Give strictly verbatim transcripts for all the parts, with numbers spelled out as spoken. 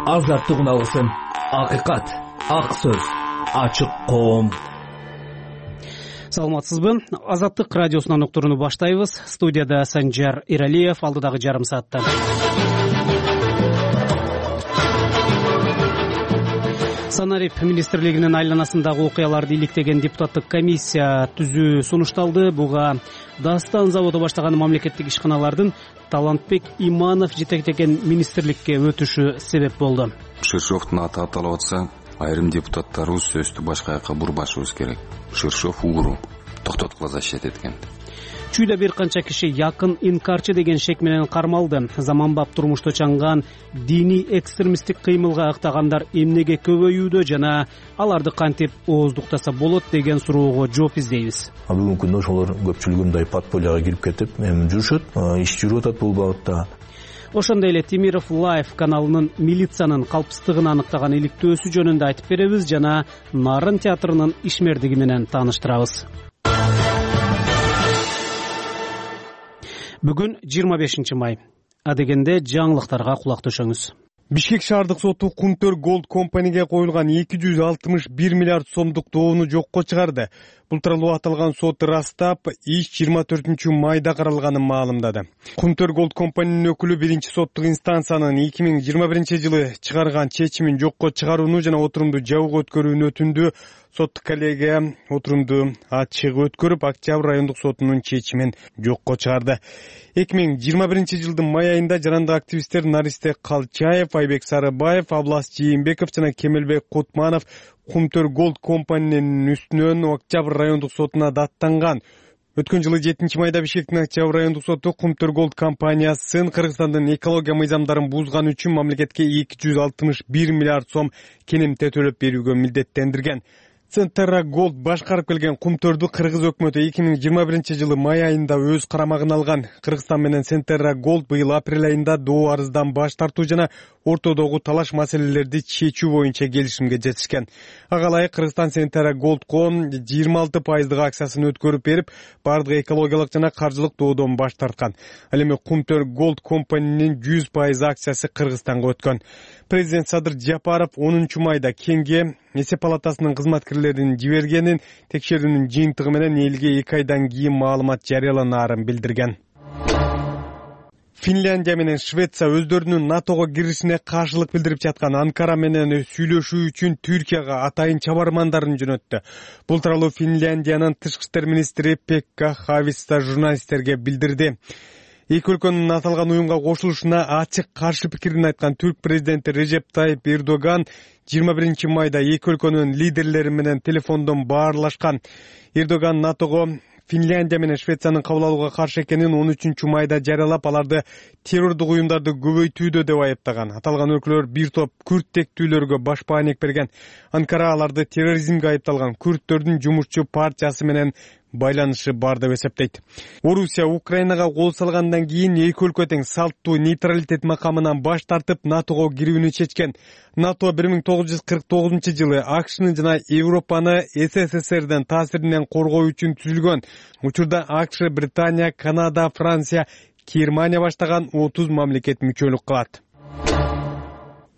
Азаттык үналысын, акыйкат, ак сөз, ачык коом. Саламатсызбы? Азаттык радиосунан уктурууну баштайбыз. Студияда Санжар Иралиев, алдыдагы жарым саатта. Санарип министрлигинин айланасындагы окуяларды иликтеген депутаттык комиссия түзүү сунушталды. Буга Дастан заводу баштаган мамлекеттик ишканалардын Талантбек Иманов жетектеген министрликке өтүшү себеп болду. Ширшовдун аты аталып атса, айрым депутаттарыбыз сөздү башка жака бурбашыбыз керек. Ширшов угру токтоткула защит эткен. Чүйдө бир канча киши якын инкарчы деген шек менен кармалды. Заманбап турмушта чаңган диний экстремисттик кыймылга ыктагандар эмнеге көбөйүүдө жана аларды кантип ооздуктаса болот деген суроого жооп издейбиз. Бүгүнкү күндө ошолор көпчүлүгү мындай подпольяга кирип кетип, эми жүрүшөт, иш жүрүп атат бул багытта. Ошондой эле Темиров Лайф каналынын милициянын калпсыздыгын аныктаган иликтөөсү жөнүндө айтып беребиз жана Нарын театрынын ишмердиги менен тааныштырабыз. Бүгүн жыйырма бешинчи май. Адегенде жаңылыктарга кулак төшөңүз. Бишкек шаардык соту Кумтөр Голд компанияга коюлган эки жүз алтымыш бир миллиард сомдук доону жокко чыгарды. Бул тууралуу аталган сот ырастап, иш жыйырма төртүнчү майда каралганын маалымдады. Кумтөр Голд компаниянын өкүлү биринчи соттук инстанциянын эки миң жыйырма биринчи жылы чыгарган чечимин жокко чыгарууну жана отурумду жабык өткөрүүнү өтүндү. Соттук коллегия отурумду ачык өткөрүп, Октябрь райондук сотунун чечимин жокко чыгарды. эки миң жыйырма биринчи жылдын май айында жарандык активисттер Наристе Калчаев, Айбек Сарыбаев, Аблас Жийинбеков жана Кемелбек Кутманов Кумтөр Голд компаниянын үстүнөн Октябрь райондук сотуна даттанган. Өткөн жылы жетинчи майда Бишкектин Октябрь райондук соту Кумтөр Голд компаниясын Кыргызстандын экология мыйзамдарын бузган үчүн мамлекетке эки жүз алтымыш бир миллиард сом керемте төлөп берүүгө милдеттендирген. Центерра Голд башкарып келген Кумтөрдү Кыргыз өкмөтү эки миң жыйырма биринчи жылы май айында өз карамагына алган. Кыргызстан менен Центерра Голд быйыл апрель айында доо арыздан баш тартуу жана ортодогу талаш маселелерди чечүү боюнча келишимге жетишкен. Ага ылайык Кыргызстан Центерра Голдко жыйырма алты пайыздык акциясын өткөрүп берип, бардык экологиялык жана каржылык доодон баш тарткан. Ал эми Кумтөр Голд компаниянын жүз пайыз акциясы Кыргызстанга өткөн. Президент Садыр Жапаров онунчу майда Кеңге эсеп палатасынын кызматкерлерин жибергенин, текшерүүнүн жыйынтыгы менен элге эки айдан кийин маалымат жарыяланаарын билдирген. Финляндия менен Швеция өздөрүнүн НАТОго киришине каршылык билдирип жаткан Анкара менен сүйлөшүү үчүн Түркияга атайын чабармандарын жөнөттү. Бул тууралуу Финляндиянын тышкы иштер министри Пекка Хависта журналисттерге билдирди. Эки өлкөнүн аталган уюмга кошулушуна ачык каршы пикирин айткан түрк президенти Режеп Тайип Эрдоган жыйырма биринчи майда эки өлкөнүн лидерлери менен телефондон баарлашкан. Эрдоган НАТОго Финляндия менен Швециянын кабыл алууга каршы экенин он үчүнчү майда жарыялап, аларды террордук уюмдарды көбөйтүүдө деп айыптаган. Аталган өлкөлөр бир топ күрд тектүүлөргө баш бааник берген. Анкара аларды терроризмге айыпталган күрдтөрдүн жумушчу партиясы менен байланышы бар деп эсептейт. Орусия Украинага кол салгандан кийин эки өлкө тең салттуу нейтралитет макамынан баш тартып НАТОго кирүүнү чечкен. НАТО бир миң тогуз жүз кырк тогузунчу жылы АКШны жана Европаны СССРдин таасиринен коргоо үчүн түзүлгөн. Учурда АКШ, Британия, Канада, Франция, Германия баштаган отуз мамлекет мүчөлүк кылат.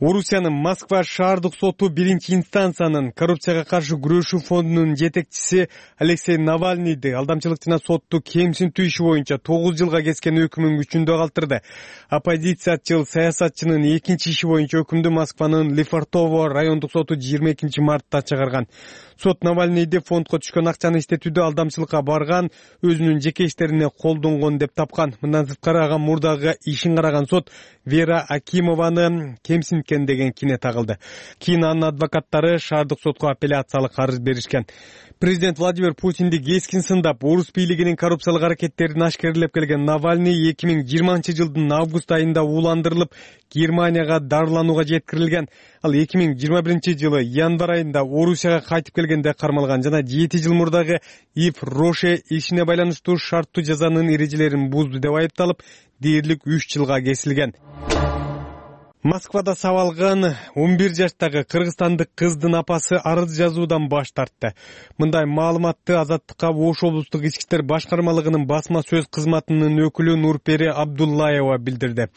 Орусиянын Москва шаардык соту биринчи инстанциянын коррупцияга каршы күрөшүү фондунун жетекчиси Алексей Навальныйды алдамчылык жана сотту кемсинтүү иши боюнча тогуз жылга кескен өкүмүн күчүндө калтырды. Оппозициячыл саясатчынын экинчи иши боюнча өкүмдү Москванын Лефортово райондук соту жыйырма экинчи мартта чыгарган. Сот Навальныйды фондко түшкөн акчаны иштетүүдө алдамчылыкка барган, өзүнүн жеке иштерине колдонгон деп тапкан. Мындан сырткары ага мурдагы ишин караган сот Вера Акимованы кемсинткен деген кине тагылды. Кийин анын адвокаттары шаардык сотко апелляциялык арыз беришкен. Президент Владимир Путинди кескин сындап, орус бийлигинин коррупциялык аракеттерин ашкерлеп келген Навальный эки миң жыйырманчы жылдын август айында ууландырылып, Германияга дарыланууга жеткирилген. Ал эки миң жыйырма биринчи жылы январь айында Орусияга кайтып келгенде кармалган жана жети жыл мурдагы Ив Роше ишине байланыштуу шарттуу жазанын эрежелерин бузду деп айыпталып, дээрлик үч жылга кесилген. Москвада сабалган он бир жаштагы кыргызстандык кыздын апасы арыз жазуудан баш тартты. Мындай маалыматты Азаттыкка Ош облустук ички иштер башкармалыгынын басма сөз кызматынын өкүлү Нурпери Абдуллаева билдирди.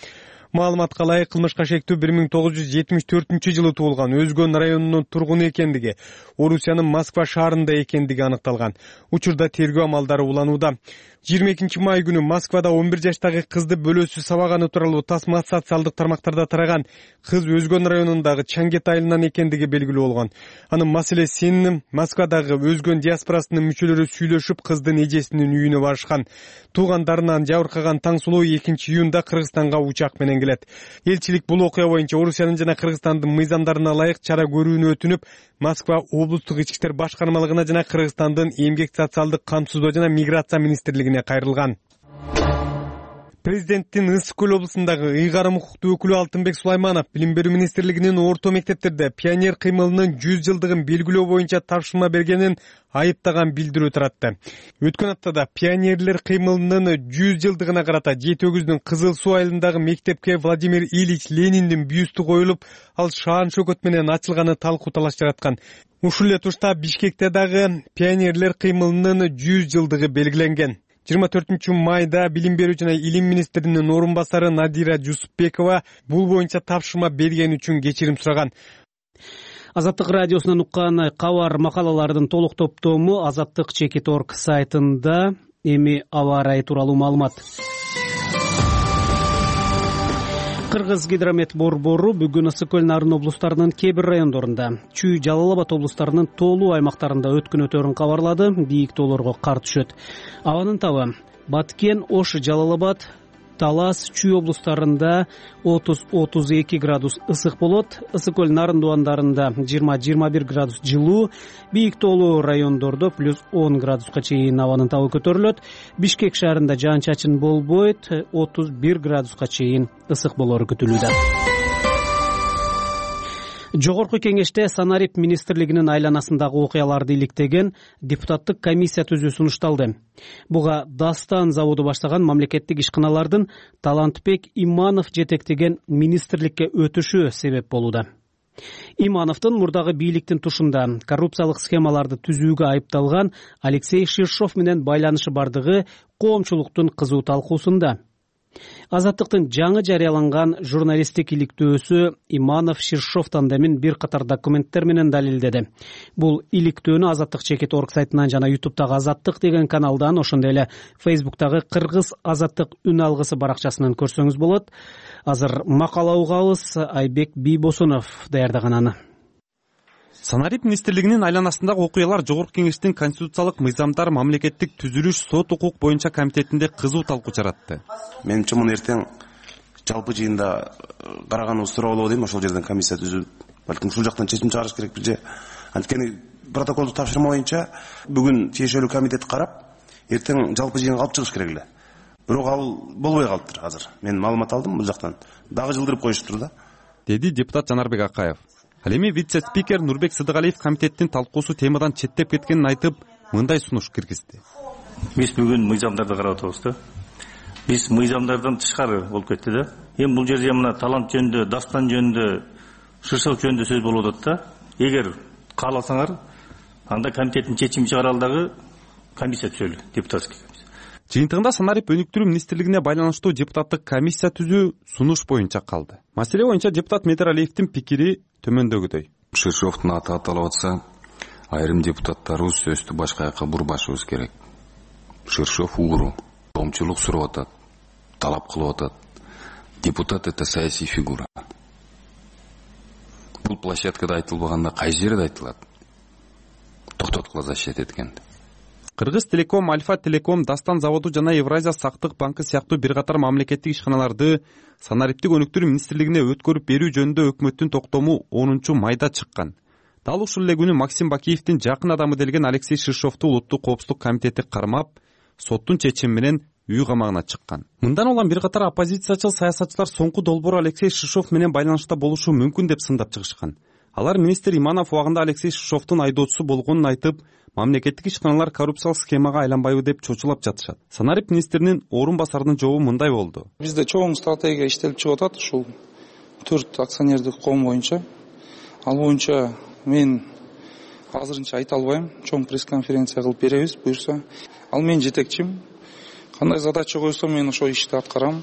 Маалыматка ылайык кылмышка шектүү бир миң тогуз жүз жетимиш төртүнчү жылы туулган, Өзгөн районунун тургуну экендиги, Орусиянын Москва шаарында экендиги аныкталган. Учурда тергөө амалдары уланууда. жыйырма экинчи май күнү Москвада он бир жаштагы кызды бөлөөсү сабаганы тууралуу тасма социалдык тармактарда тараган. Кыз Өзгөн районундагы Чангет айылынан экендиги белгилүү болгон. Анын маселесин Москвадагы Өзгөн диаспорасынын мүчөлөрү сүйлөшүп, кыздын эжесинин үйүнө барышкан. Туугандарынан жабыркаган Таңсулуу экинчи июнда Кыргызстанга учак менен келет. Элчилик бул окуя боюнча Орусиянын жана Кыргызстандын мыйзамдарына ылайык чара көрүүнү өтүнүп, Москва облустук ички иштер башкармалыгына жана Кыргызстандын эмгек социалдык камсыздоо жана миграция министрлигине кайрылган. Президенттин Ысык Көл облусундагы ыйгарым укуктуу өкүлү Алтынбек Сулайманов билим берүү министрлигинин орто мектептерде пионер кыймылынын жүз жылдыгын белгилөө боюнча тапшырма бергенин айыптаган билдирүү таратты. Өткөн аптада пионерлер кыймылынын жүз жылдыгына карата Жети өгүздүн Кызыл Суу айылындагы мектепке Владимир Ильич Лениндин бюсту коюлуп, ал шаан шөкөт менен ачылганы талкуу талаш жараткан. Ушул эле тушта Бишкекте дагы пионерлер кыймылынын жүз жылдыгы белгиленген. жыйырма төртүнчү майда билим берүү жана илим министринин орун басары Надира Жусупбекова бул боюнча тапшырма бергени үчүн кечирим сураган. Азаттык радиосунан уккан кабар макалалардын толук топтому азаттык чекит точка орг сайтында. Эми аба ырайы тууралуу маалымат. Кыргыз гидромет борбору бүгүн Ысык Көл Нарын облустарынын кээ бир райондорунда, Чүй, Жалал Абад облустарынын тоолуу аймактарында өткөн өтөрүн кабарлады. Бийик тоолорго кар түшөт. Абанын табы Баткен, Ош, Жалал Абад, Талас, Чүй облустарында отуз отуз эки градус ысык болот. Ысык Көл Нарын дубандарында жыйырма жыйырма бир градус жылуу, бийик тоолуу райондордо плюс он градуска чейин абанын табы көтөрүлөт. Бишкек шаарында жаан-чачын болбойт, отуз бир градуска чейин ысык болору күтүлүүдө. Жогорку кеңеште Санарип министрлигинин айланасындагы окуяларды иликтеген депутаттык комиссия түзүү сунушталды. Буга Дастан заводу баштаган мамлекеттик ишканалардын Талантбек Иманов жетектеген министрликке өтүшү себеп болууда. Имановдун мурдагы бийликтин тушунда коррупциялык схемаларды түзүүгө айыпталган Алексей Ширшов менен байланышы бардыгы коомчулуктун кызуу талкуусунда. Азаттыктын жаңы жарыяланган журналисттик иликтөөсү Иманов Ширшов тандемин бир катар документтер менен далилдеди. Бул иликтөөнү Азаттык чекит точка орг сайтынан жана ютубтагы Азаттык деген каналдан, ошондой эле Фейсбуктагы Кыргыз Азаттык үн алгысы баракчасынан көрсөңүз болот. Азыр макала угабыз. Айбек Бийбосунов даярдаган аны. Санарип министрлигинин айланасындагы окуялар Жогорку кеңештин конституциялык мыйзамдар мамлекеттик түзүлүш сот укук боюнча комитетинде кызуу талкуу жаратты. Менимче муну эртең жалпы жыйында караганыбыз туура болобу дейм. Ошол жерден комиссия түзүп, балким ушул жактан чечим чыгарыш керек бизде. Анткени протоколду тапшырма боюнча бүгүн тиешелүү комитет карап, эртең жалпы жыйынга алып чыгыш керек эле. Бирок ал болбой калыптыр азыр. Мен маалымат алдым бул жактан. Дагы жылдырып коюшуптур да, деди депутат Жанарбек Акаев. Ал эми вице-спикер Нурбек Сыдыгалиев комитеттин талкуусу темадан четтеп кеткенин айтып, мындай сунуш киргизди. Биз бүгүн мыйзамдарды карап атабыз да. Биз мыйзамдардан тышкары болуп кетти да. Эми бул жерде мына талант жөнүндө, Дастан жөнүндө, Ширшов жөнүндө сөз болуп атат да. Эгер кааласаңар, анда комитеттин чечими чыгаралы дагы комиссия түзөлү, депутатский комиссия. Жыйынтыгында Санарип өнүктүрүү министрлигине байланыштуу депутаттык комиссия түзүү сунуш боюнча калды. Маселе боюнча депутат Медералиевдин пикири төмөндөгүдөй. Ширшовдун аты аталып атса, айрым депутаттарыбыз сөздү башка жака бурбашыбыз керек. Ширшов угру, коомчулук сурап атат, талап кылып атат. Депутат — это саясий фигура. Бул площадкада айтылбаганда кайсы жерде айтылат? Токтоткула защит эткенде. Кыргыз Телеком, Альфа Телеком, Дастан заводу жана Евразия сактык банкы сыяктуу бир катар мамлекеттик ишканаларды Санариптик өнүктүрүү министрлигине өткөрүп берүү жөнүндө өкмөттүн токтому онунчу майда чыккан. Дал ушул эле күнү Максим Бакиевдин жакын адамы делген Алексей Ширшовду Улуттук коопсуздук комитети кармап, соттун чечими менен үй камагына чыккан. Мындан улам бир катар оппозициячыл саясатчылар соңку долбоору Алексей Ширшов менен байланышта болушу мүмкүн деп сындап чыгышкан. Алар министр Иманов убагында Алексей Ширшовдун айдоочусу болгонун айтып, мамлекеттик ишканалар коррупциялык схемага айланбайбы деп чочулап жатышат. Санарип министринин орун басарынын жообу мындай болду. Бизде чоң стратегия иштелип чыгып атат ушул төрт акционердик коом боюнча. Ал боюнча мен азырынча айта албайм. Чоң пресс-конференция кылып беребиз, буюрса. Ал менин жетекчим. Кандай задача койсо мен ошол ишти аткарам.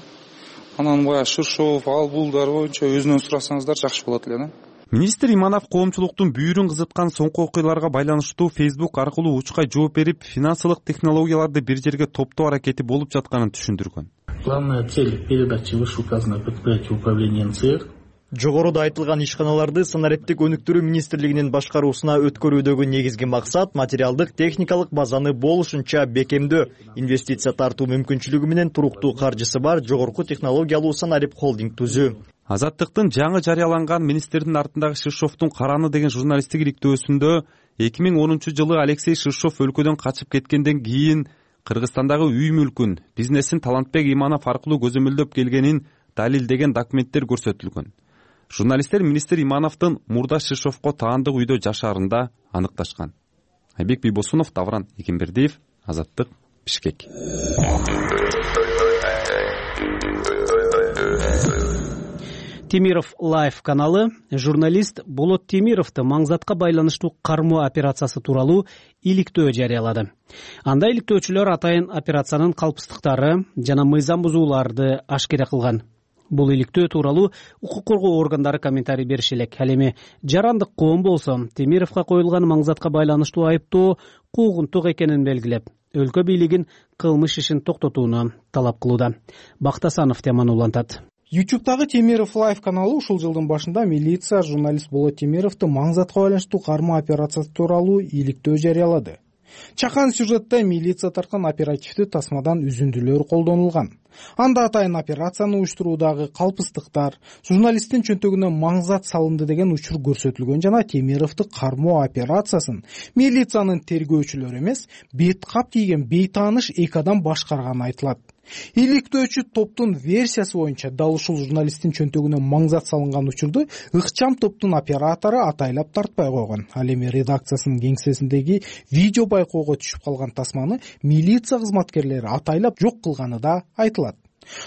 Анан баягы Шыршов, ал булдар боюнча өзүнөн сурасаңыздар жакшы болот эле да. Министр Иманов коомчулуктун бүйүрүн кызыткан соңку окуяларга байланыштуу Facebook аркылуу учкай жооп берип, финансылык технологияларды бир жерге топтоо аракети болуп жатканын түшүндүргөн. Главная цель передачи вышеуказанного предприятия управления эн цэ эр. Жогоруда айтылган ишканаларды санариптик өнүктүрүү министрлигинин башкаруусуна өткөрүүдөгү негизги максат материалдык техникалык базаны болушунча бекемдөө, инвестиция тартуу мүмкүнчүлүгү менен туруктуу каржысы бар жогорку технологиялуу санарип холдинг түзүү. Азаттыктын жаңы жарыяланган министрдин артындагы Шыршовдун караны деген журналисттик иликтөөсүндө эки миң онунчу жылы Алексей Шыршов өлкөдөн качып кеткенден кийин Кыргызстандагы үй мүлкүн, бизнесин Талантбек Иманов аркылуу көзөмөлдөп келгенин далилдеген документтер көрсөтүлгөн. Журналисттер министр Имановдун мурда Шыршовго таандык үйдө жашаарында аныкташкан. Айбек Бийбосунов, Давран Экембердиев, Азаттык, Бишкек. Темиров Лайф каналы журналист Болот Темировду маңзатка байланыштуу кармоо операциясы тууралуу иликтөө жарыялады. Анда иликтөөчүлөр атайын операциянын калпыстыктары жана мыйзам бузууларды ашкере кылган. Бул иликтөө тууралуу укук коргоо органдары комментарий бериши элек. Ал эми жарандык коом болсо Темировго коюлган маңзатка байланыштуу айыптоо куугунтук экенин белгилеп, өлкө бийлигин кылмыш ишин токтотууну талап кылууда. Бактасанов теманы улантат. ютубтагы Темиров Лайф каналы ушул жылдын башында милиция журналист Болот Темировду маңзатка байланыштуу кармоо операциясы тууралуу иликтөө жарыялады. Чакан сюжетте милиция тарткан оперативдүү тасмадан үзүндүлөр колдонулган. Анда атайын операцияны уюштуруудагы калпыстыктар, журналисттин чөнтөгүнө маңзат салынды деген учур көрсөтүлгөн жана Темировду кармоо операциясын милициянын тергөөчүлөрү эмес, бет кап кийген бейтааныш эки адам башкарганы айтылат. Иликтөөчү топтун версиясы боюнча дал ушул журналисттин чөнтөгүнө маңзат салынган учурду ыкчам топтун оператору атайлап тартпай койгон. Ал эми редакциясынын кеңсесиндеги видео байкоого түшүп калган тасманы милиция кызматкерлери атайлап жок кылганы да айтылат.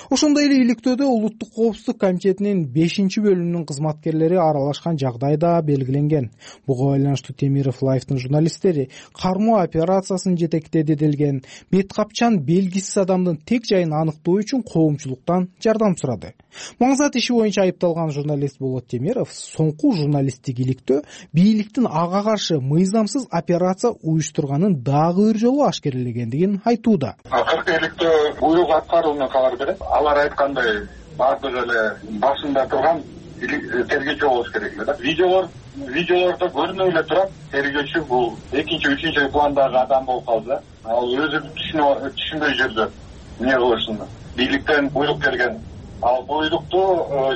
Ошондой эле иликтөөдө Улуттук коопсуздук комитетинин бешинчи бөлүмүнүн кызматкерлери аралашкан жагдай да белгиленген. Буга байланыштуу Темиров Лайфтын журналисттери кармоо операциясын жетектеди делген бет капчан белгисиз адамдын тек жайын аныктоо үчүн коомчулуктан жардам сурады. Маңзат иши боюнча айыпталган журналист Болот Темиров соңку журналисттик иликтөө бийликтин ага каршы мыйзамсыз операция уюштурганын дагы бир жолу ашкерелегендигин айтууда. Акыркы иликтөө буйрук аткарууна кабар берет. Алар айткандай баардыгы эле башында турган тергөөчү болуш керек эле да. Видеолор видеолордо көрүнүп эле турат. Тергөөчү бул экинчи, үчүнчү пландагы адам болуп калды да. Ал өзү түшүнбөй жүрдү. Эмне кылышын. Бийликтен буйрук келген. Ал буйрукту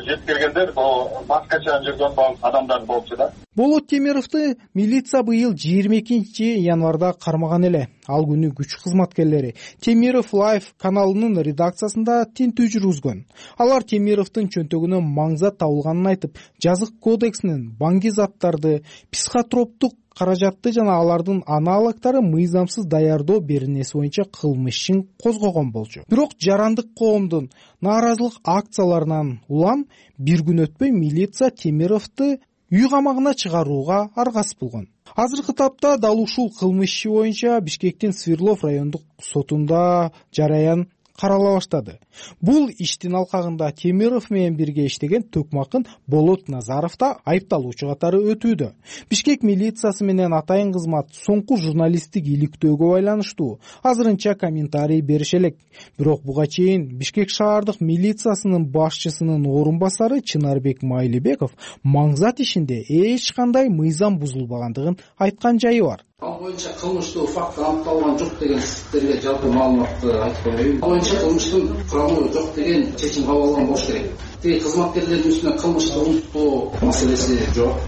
жеткиргендер бул башкача жүргөн адамдар болчу да. Болот Темировду милиция быйыл жыйырма экинчи январда кармаган эле. Ал күнү күч кызматкерлери Темиров Лайф каналынын редакциясында тинтүү жүргүзгөн. Алар Темировдун чөнтөгүнөн маңзат табылганын айтып, жазык кодексинин банги заттарды, психотроптук каражатты жана алардын аналогдору мыйзамсыз даярдоо беренеси боюнча кылмыш ишин козгогон болчу. Бирок жарандык коомдун нааразылык акцияларынан улам бир күн өтпөй милиция Темировду үй камагына чыгарууга аргасыз болгон. Азыркы тапта дал ушул кылмыш иши боюнча Бишкектин Свердлов райондук сотунда жараян карала баштады. Бул иштин алкагында Темиров менен бирге иштеген Төкмакын Болот Назаров да айыпталуучу катары өтүүдө. Бишкек милициясы менен атайын кызмат соңку журналисттик иликтөөгө байланыштуу азырынча комментарий берише элек. Бирок буга чейин Бишкек шаардык милициясынын башчысынын орун басары Чынарбек Майлыбеков маңзат ишинде эч кандай мыйзам бузулбагандыгын айткан жайы бар. Ал боюнча кылмыштуу факт аныкталган жок деген сиздерге жалпы маалыматты айтып коеюн. Ал боюнча кылмыштын курамы жок деген чечим кабыл алган болуш керек. Тиги кызматкерлердин үстүнө кылмышты унуттоо маселеси жок.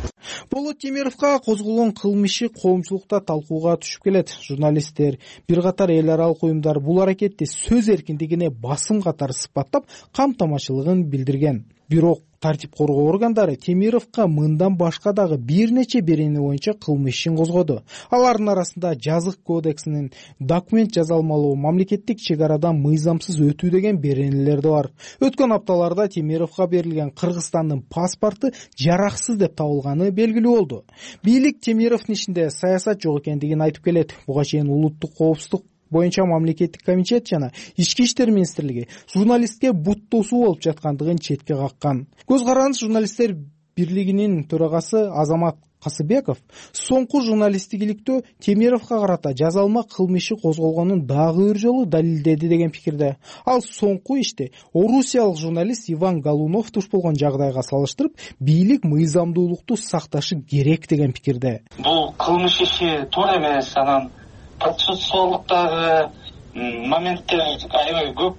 Болот Темировго козголгон кылмышы коомчулукта талкууга түшүп келет. Журналисттер, бир катар эл аралык уюмдар бул аракетти сөз эркиндигине басым катары сыпаттап камтамашылыгын билдирген. Бирок тартип коргоо органдары Темировго мындан башка дагы бир нече берене боюнча кылмыш ишин козгоду. Алардын арасында жазык кодексинин документ жазалмалоо, мамлекеттик чек арадан мыйзамсыз өтүү деген беренелер да бар. Өткөн апталарда Темировго берилген Кыргызстандын паспорту жараксыз деп табылганы белгилүү болду. Бийлик Темировдун ишинде саясат жок экендигин айтып келет. Буга чейин Улуттук коопсуздук боюнча мамлекеттик комитет жана ички иштер министрлиги журналистке бут тосуу болуп жаткандыгын четке каккан. Көз карандыс журналисттер бирлигинин төрагасы Азамат Касыбеков соңку журналистикиликтөө Темировго карата жазалма кылмыш иши козголгонун дагы бир жолу далилдеди деген пикирде. Ал соңку иште орусиялык журналист Иван Галунов туш болгон жагдайга салыштырып, бийлик мыйзамдуулукту сакташы керек деген пикирде. Бул кылмыш иши туура эмес, анан процессуалдыктагы моменттер аябай көп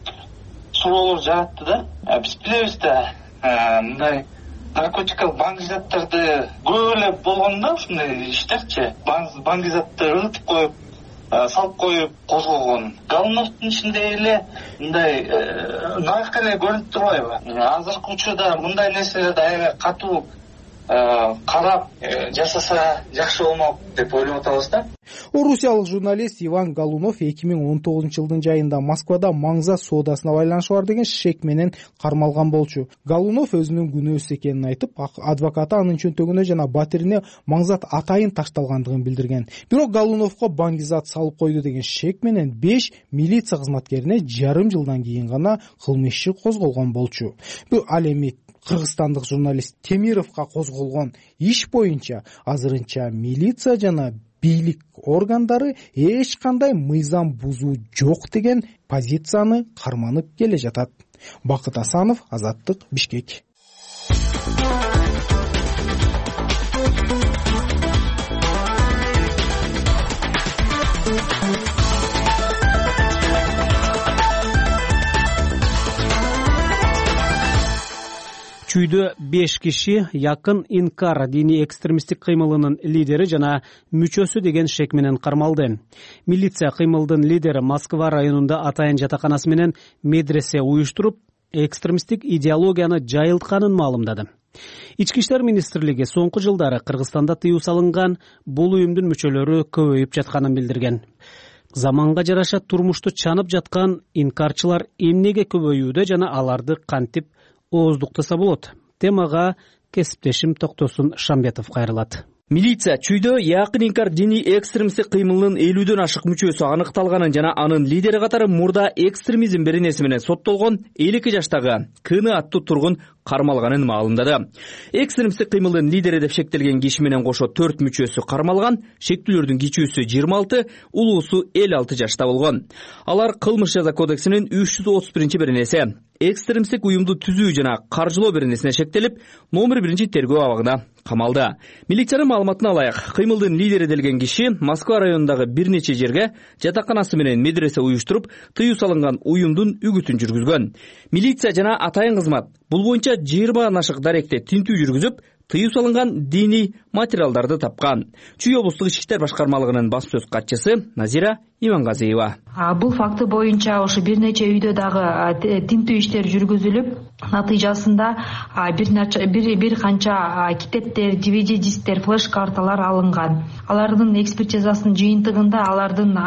суроолор жаратты да. Биз билебиз да, мындай наркотикалык баңгизаттарды көп эле болгондо ушундай иштерчи баңгизатты ырытып коюп, салып коюп козголгон. Галуновдун ичинде эле мындай наак эле көрүнүп турбайбы? Азыркы учурда мындай нерселерди аябай катуу карап жасаса жакшы болмок деп ойлоп атабыз да. Орусиялык журналист Иван Галунов эки миң он тогузунчу жылдын жайында Москвада маңзат соодасына байланышы бар деген шек менен кармалган болчу. Галунов өзүнүн күнөөсүз экенин айтып, адвокаты анын чөнтөгүнө жана батирине маңзат атайын ташталгандыгын билдирген. Бирок Галуновго баңгизат салып койду деген шек менен беш милиция кызматкерине жарым жылдан кийин гана кылмыш иши козголгон болчу. Бул ал эми кыргызстандык журналист Темировго козголгон иш боюнча азырынча милиция жана бийлик органдары эч кандай мыйзам бузуу жок деген позицияны карманып келе жатат. Бакыт Асанов, Азаттык, Бишкек. Чүйдө беш киши Якын Инкар диний экстремисттик кыймылынын лидери жана мүчөсү деген шек менен кармалды. Милиция кыймылдын лидери Москва районунда атайын жатаканасы менен медресе уюштуруп, экстремисттик идеологияны жайылтканын маалымдады. Ички иштер министрлиги соңку жылдары Кыргызстанда тыюу салынган бул уюмдун мүчөлөрү көбөйүп жатканын билдирген. Заманга жараша турмушту чанып жаткан инкарчылар эмнеге көбөйүүдө жана аларды кантип ооздуктаса болот? Темага кесиптешим Токтосун Шамбетов кайрылат. Милиция чүйдө Якын Инкар диний экстремисттик кыймылынын элүүдөн ашык мүчөсү аныкталганын жана анын лидери катары мурда экстремизм беренеси менен соттолгон элүү эки жаштагы Кыны аттуу тургун кармалганын маалымдады. Экстремисттик кыймылдын лидери деп шектелген киши менен кошо төрт мүчөсү кармалган, шектүүлөрдүн кичүүсү жыйырма алты, улуусу элүү алты жашта болгон. Алар кылмыш жаза кодексинин үч жүз отуз биринчи беренеси экстремисттик уюмду түзүү жана каржылоо беренесине шектелип, номер биринчи тергөө абагына камалды. Милициянын маалыматына алайык, кыймылдын лидери делген киши Москва районундагы бир нече жерге жатаканасы менен медресе уюштуруп, тыюу салынган уюмдун үгүтүн жүргүзгөн. Милиция жана атайын кызмат бул боюнча жыйырмадан ашык даректе тинтүү жүргүзүп, тыюу салынган диний материалдарды тапкан. Чүй облустук ички иштер башкармалыгынын басма сөз катчысы Назира Имангазиева. Бул факты боюнча ошо бир нече үйдө дагы тинтүү иштер жүргүзүлүп, натыйжасында бир бир канча китептер, ди ви ди дисктер, флеш карталар алынган. Алардын экспертизасынын жыйынтыгында алардын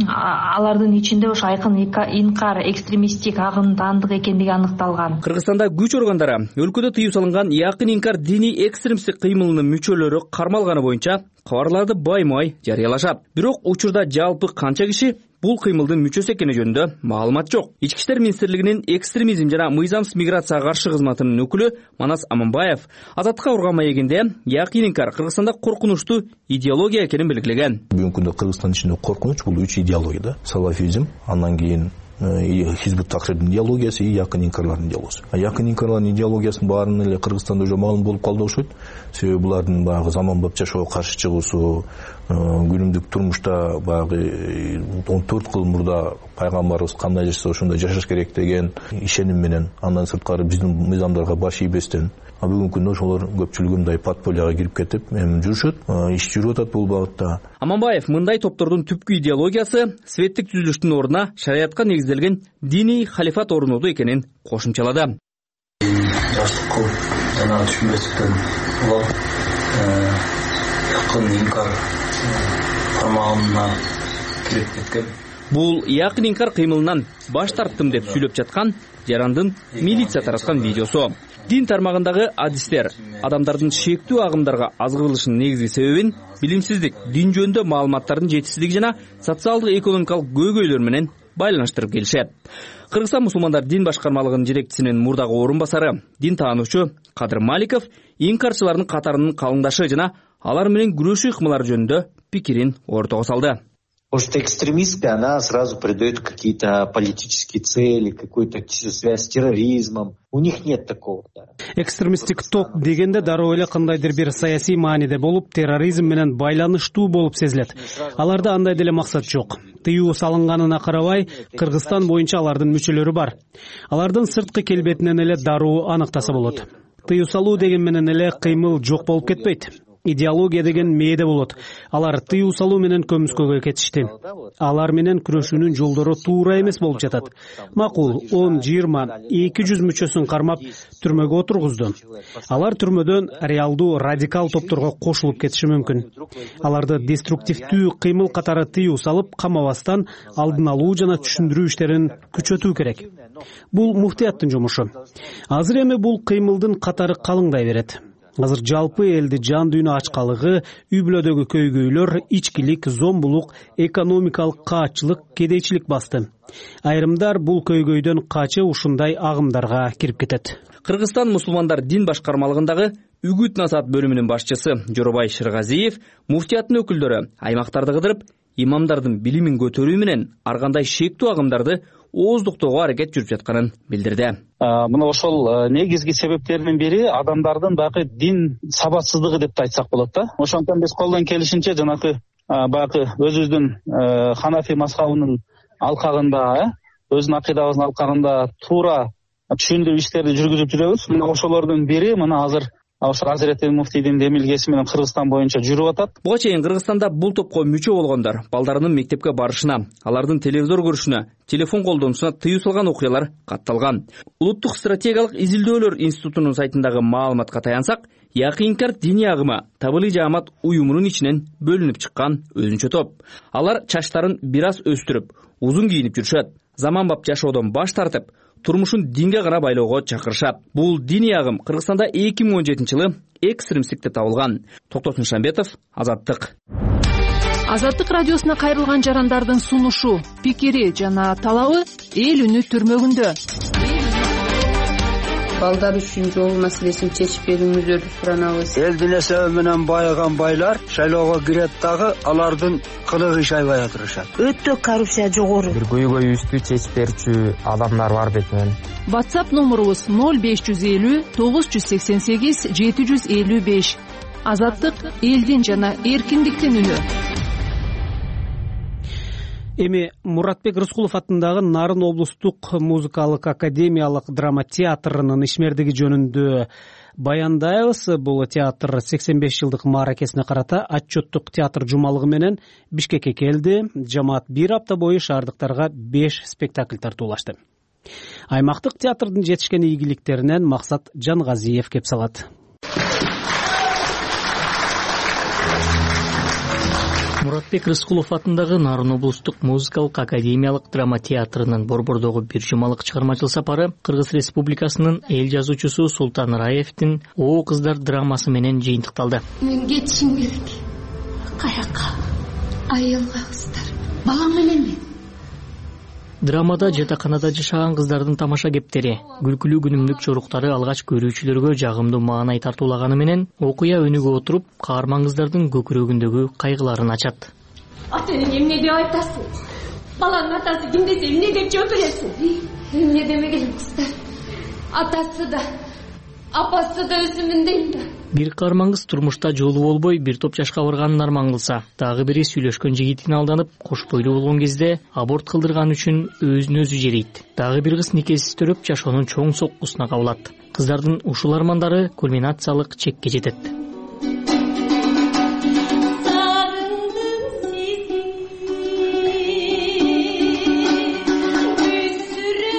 алардын ичинде ошо Айкын Инкар экстремисттик агым таандык экендиги аныкталган. Кыргызстанда күч органдары өлкөдө тыюу салынган Якын Инкар диний экстремисттик кыймылынын мүчөлөрү кармалганы боюнча кабарларды баймай жарыялашат. Бирок учурда жалпы канча киши бул кыймылдын мүчөсү экени жөнүндө маалымат жок. Ички иштер министрлигинин экстремизм жана мыйзамсыз миграцияга каршы кызматынын өкүлү Манас Аманбаев Азаттыкка урган маегинде Якын Инкар Кыргызстанда коркунучтуу идеология экенин белгилеген. Бүгүнкү күндө Кыргызстан ичинде коркунуч бул үч идеология да. Салафизм, андан кийин Хизбут Тахрирдин идеологиясы, Якын Инкарлардын идеологиясы. Якын Инкарлардын идеологиясынын баарын эле Кыргызстанда уже маалым болуп калды окшойт. Себеби булардын баягы заманбап жашоого каршы чыгуусу, күнүмдүк турмушта баягы он төрт кыл мурда пайгамбарыбыз кандай жашаса ошондой жашаш керек деген ишеним менен, андан сырткары биздин мыйзамдарга баш ийбестен, а бүгүнкү күндө ошолор көпчүлүгү мындай подполяга кирип кетип, эми жүрүшөт, иш жүрүп атат бул багытта. Аманбаев мындай топтордун түпкү идеологиясы светтик түзүлүштүн ордуна шариатка негизделген диний халифат орнотуу экенин кошумчалады. Жаштык кылып жана түшүнбестиктен улап Якын Инкар кармагына кирип кеткен. Бул Якын Инкар кыймылынан баш тарттым деп сүйлөп жаткан жарандын милиция тараткан видеосу. Дин тармагындагы адистер адамдардын шектүү агымдарга азгырылышынын негизги себебин билимсиздик, дин жөнүндө маалыматтардын жетишсиздиги жана социалдык экономикалык көйгөйлөр менен байланыштырып келишет. Кыргызстан мусулмандар дин башкармалыгынын жетекчисинин мурдагы орун басары, дин таануучу Кадыр Маликов инкарчылардын катарынын калыңдашы жана алар менен күрөшүү ыкмалары жөнүндө пикирин ортого салды. Потому что экстремистская, она сразу придает какие-то политические цели, какую-то связь с терроризмом. У них нет такого. Экстремисттик топ дегенде дароо эле кандайдыр бир саясий мааниде болуп, терроризм менен байланыштуу болуп сезилет. Аларда андай деле максат жок. Тыюу салынганына карабай, Кыргызстан боюнча алардын мүчөлөрү бар. Алардын сырткы келбетинен эле дароо аныктаса болот. Тыюу салуу деген менен эле кыймыл жок болуп кетпейт. Идеология деген мээде болот. Алар тыюу салуу менен көмүскөгө кетишти. Алар менен күрөшүүнүн жолдору туура эмес болуп жатат. Макул он, жыйырма, эки жүз мүчөсүн кармап түрмөгө отургузду. Алар түрмөдөн реалдуу радикал топторго кошулуп кетиши мүмкүн. Аларды деструктивдүү кыймыл катары тыюу салып, камабастан алдын алуу жана түшүндүрүү иштерин күчөтүү керек. Бул муфтияттын жумушу. Азыр эми бул кыймылдын катары калыңдай берет. Азыр жалпы элди жан дүйнө ачкалыгы, үй бүлөдөгү көйгөйлөр, ичкилик, зомбулук, экономикалык каатчылык, кедейчилик басты. Айрымдар бул көйгөйдөн качы ушундай агымдарга кирип кетет. Кыргызстан мусулмандар дин башкармалыгындагы үгүт насаат бөлүмүнүн башчысы Жоробай Шыргазиев муфтияттын өкүлдөрү аймактарды кыдырып, имамдардын билимин көтөрүү менен ар кандай шектүү агымдарды ооздуктоого аракет жүрүп жатканын билдирди. Мына ошол негизги себептеринин бири адамдардын баягы дин сабатсыздыгы деп айтсак болот да. Ошондон биз колдон келишинче жанагы баягы өзүбүздүн ханафи мазхабынын алкагында, өзүнүн акыйдабыздын алкагында туура түшүндүрүү иштерди жүргүзүп жүрөбүз. Мына ошолордун бири мына азыр ошо Азирети муфтийдин демилгеси менен Кыргызстан боюнча жүрүп атат. Буга чейин Кыргызстанда бул топко мүчө болгондор балдарынын мектепке барышына, алардын телевизор көрүшүнө, телефон колдонуусуна тыюу салган окуялар катталган. Улуттук стратегиялык изилдөөлөр институтунун сайтындагы маалыматка таянсак, Якынкар диний агымы Табылый жаамат уюмунун ичинен бөлүнүп чыккан өзүнчө топ. Алар чачтарын бир аз өстүрүп, узун кийинип жүрүшөт. Заманбап жашоодон баш тартып, турмушун динге гана байлоого чакырышат. Бул диний агым Кыргызстанда эки миң он жетинчи жылы экстремисттик деп табылган. Токтосун Шамбетов, Азаттык. Азаттык радиосуна кайрылган жарандардын сунушу, пикири жана талабы эл үнү түрмөгүндө. Балдар үчүн жол маселесин чечип берүүңүздөрдү суранабыз. Элдин эсеби менен байыган байлар шайлоого кирет дагы алардын кылыгы иш айбай отурушат. Өтө коррупция жогору. Бир көйгөйүбүздү чечип берүүчү адамдар бар бетинен. WhatsApp номерубуз ноль беш жүз элүү тогуз жүз сексен сегиз жети жүз элүү беш. Азаттык элдин жана эркиндиктин үнү. Эми Муратбек Рыскулов атындагы Нарын облустук музыкалык академиялык драма театрынын ишмердиги жөнүндө баяндайбыз. Бул театр сексен беш жылдык мааракесине карата отчеттук театр жумалыгы менен Бишкекке келди. Жамаат бир апта бою шаардыктарга беш спектакль тартуулашты. Аймактык театрдын жетишкен ийгиликтеринен Максат Жангазиев кеп салат. Муратбек Рыскулов атындагы Нарын облустук музыкалык академиялык драма театрынын борбордогу бир жумалык чыгармачыл сапары Кыргыз Республикасынын эл жазуучусу Султан Раевдин О кыздар драмасы менен жыйынтыкталды. Мен кетишим керек. Каяка? Айылга кыздар. Балам менен мен. Драмада жатаканада жашаган кыздардын тамаша кептери, күлкүлүү күнүмдүк жоруктары алгач көрүүчүлөргө жагымдуу маанай тартуулаганы менен окуя өнүгө отуруп, каарман кыздардын көкүрөгүндөгү кайгыларын ачат. Ата эне эмне деп айтасың? Баланын атасы ким десе эмне деп жооп бересиң? Эмне демеген кыздар? Атасы да, апасы да өзүмүн дейм да. Бир каарман кыз турмушта жолу болбой бир топ жашка барганын арман кылса, дагы бири сүйлөшкөн жигитине алданып, кош бойлуу болгон кезде аборт кылдырган үчүн өзүн өзү жерейт. Дагы бир кыз никесиз төрөп жашоонун чоң соккусуна кабылат. Кыздардын ушул армандары кульминациялык чекке жетет.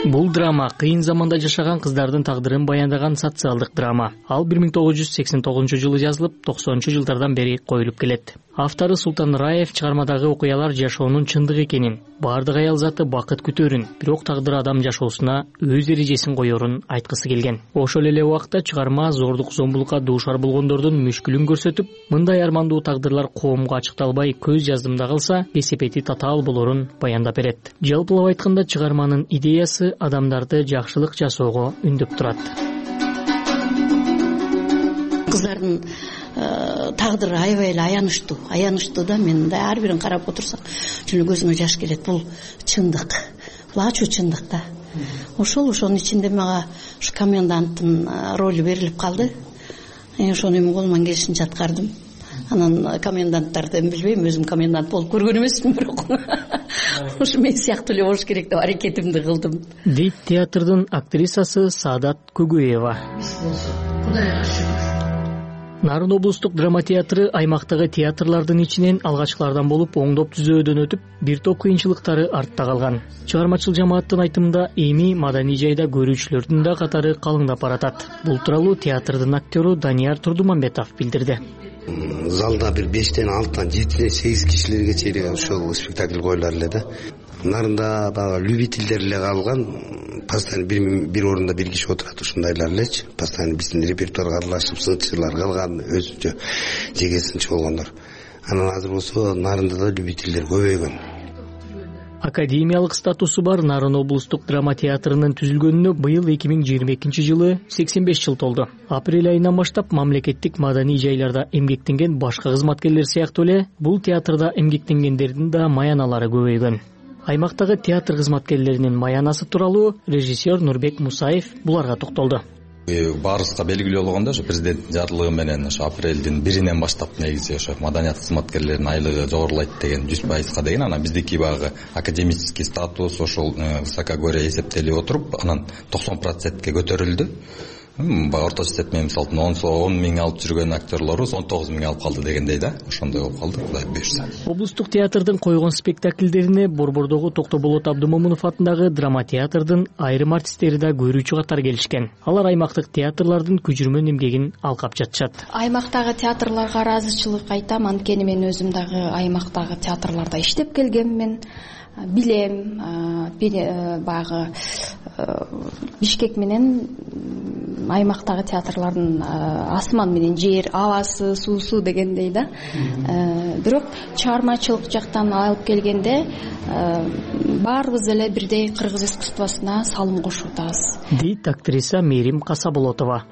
Бул драма кыйын заманда жашаган кыздардын тагдырын баяндаган социалдык драма. Ал бир миң тогуз жүз сексен тогузунчу жылы жазылып, токсонунчу жылдардан бери коюлуп келет. Автору Султан Раев чыгармадагы окуялар жашоонун чындыгы экенин, баардык аял заты бакыт күтөрүн, бирок тагдыр адам жашоосуна өз эрежесин коерун айткысы келген. Ошол эле убакта чыгарма зордук зомбулукка дуушар болгондордун мүшкүлүн көрсөтүп, мындай армандуу тагдырлар коомго ачыкталбай көз жаздымда калса, кесепети татаал болорун баяндап берет. Жалпылап айтканда чыгарманын идеясы адамдарды жакшылык жасоого үндөп турат. Кыздардын тагдыры аябай эле аянычтуу, аянычтуу да, мен мындай ар бирин карап отурсам, жөн көзүмө жаш келет. Бул чындык, бул ачуу чындык да. Ошол ошонун ичинде мага ушу коменданттын ролу берилип калды. Ошону эми колуман келишинче аткардым. Анан коменданттарды билбейм, өзүм комендант болуп көргөн эмесмин, бирок ушу мен сыяктуу эле болуш керек деп аракетимди кылдым. Дейт театрдын актрисасы Саадат Көгөева. Кудайга шүгүр. Нарын облустук драма театры аймактагы театрлардын ичинен алгачкылардан болуп, оңдоп түзөөдөн өтүп, бир топ кыйынчылыктары артта калган. Чыгармачыл жамааттын айтымында, эми маданий жайда көрүүчүлөрдүн да катары калыңдап баратат. Бул тууралуу театрдын актёру Данияр Турдумамбетов билдирди. Залда бир бештен алтыдан жетиден сегиз кишилерге чейин ошол спектакль коюлар эле да. Нарында баягы любительдер эле калган, постоянно бир бир орунда бир киши отурат, ушундайлар элечи. Постоянно биздин репертуарга аралашып, сынчылар калган, өзүнчө жеке сынчы болгондор. Анан азыр болсо нарында да любительдер көбөйгөн. Академиялык статусу бар Нарын облустук драма театрынын түзүлгөнүнө быйыл эки миң жыйырма экинчи жылы сексен беш жыл толду. Апрель айынан баштап мамлекеттик маданий жайларда эмгектенген башка кызматкерлер сыяктуу эле бул театрда эмгектенгендердин да маяналары көбөйгөн. Аймактагы театр кызматкерлеринин маянасы тууралуу режиссер Нурбек Мусаев буларга токтолду. Баарыбызга белгилүү болгондой, ошо президенттин жарлыгы менен ошо апрелдин биринен баштап негизи ошо маданият кызматкерлеринин айлыгы жогорулайт деген жүз пайызга деген, анан биздики багы академический статус ошол высокогорье эсептелип отуруп, анан токсон процентке көтөрүлдү. Орточо эсеп менен мисалы он миң алып жүргөн актерлорубуз он тогуз миң алып калды дегендей да, ошондой болуп калды, Кудай буйрса. Облустук театрдын койгон спектакльдерине Борбордогу Токтоболот Абдымомунов атындагы драма театрдын айрым артисттери да көрүүчү катары келишкен. Алар аймактык театрлардын күжүрмөн эмгегин алкап жатышат. Аймактагы театрларга ыраазычылык айтам, анткени мен өзүм дагы аймактагы театрларда иштеп келгенмин. Билем, баягы Бишкек менен аймактагы театрлардын асман менен жер, абасы, суусу дегендей да. Бирок чыгармачылык жактан алып келгенде баарыбыз эле бирдей кыргыз искусствосуна салым кошуп атабыз. Дейт актриса Мерим Касаболотова.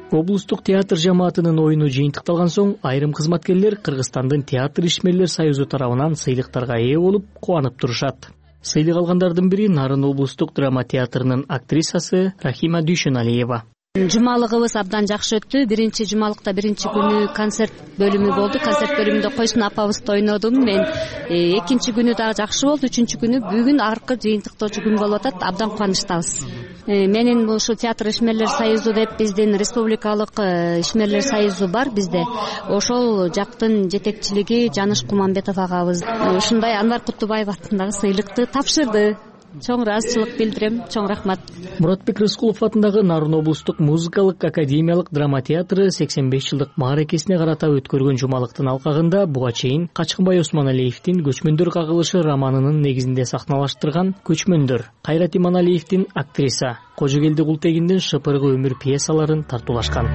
Облустук театр жамаатынын оюну жыйынтыкталган соң, айрым кызматкерлер Кыргызстандын театр ишмерлер союзу тарабынан сыйлыктарга ээ болуп, кубанып турушат. Сыйлык алгандардын бири Нарын облустук драма театрынын актрисасы Рахима Дүйшөналиева. Жумалыгыбыз абдан жакшы өттү. Биринчи жумалыкта биринчи күнү концерт бөлүмү болду. Концерт бөлүмүндө Койсун апабызды ойнодум мен. Экинчи күнү дагы жакшы болду. Үчүнчү күнү бүгүн аркы жыйынтыктоочу күн болуп атат. Абдан кубанычтабыз. Менин ушу театр ишмерлер союзу деп биздин республикалык ишмерлер союзу бар бизде. Ошол жактын жетекчилиги Жаныш Куманбетов агабыз ушундай Анвар Кутубаев атындагы сыйлыкты тапшырды. Чоң ыраазычылык билдирем, чоң рахмат. Муратбек Рыскулов атындагы Нарын облустук музыкалык академиялык драма театры сексен беш жылдык мааракесине карата өткөргөн жумалыктын алкагында буга чейин Качкынбай Осмоналиевдин Көчмөндөр кагылышы романынын негизинде сахналаштырган Көчмөндөр, Кайрат Иманалиевдин актриса, Кожогелди Култегиндин Шыпыргы өмүр пьесаларын тартуулашкан.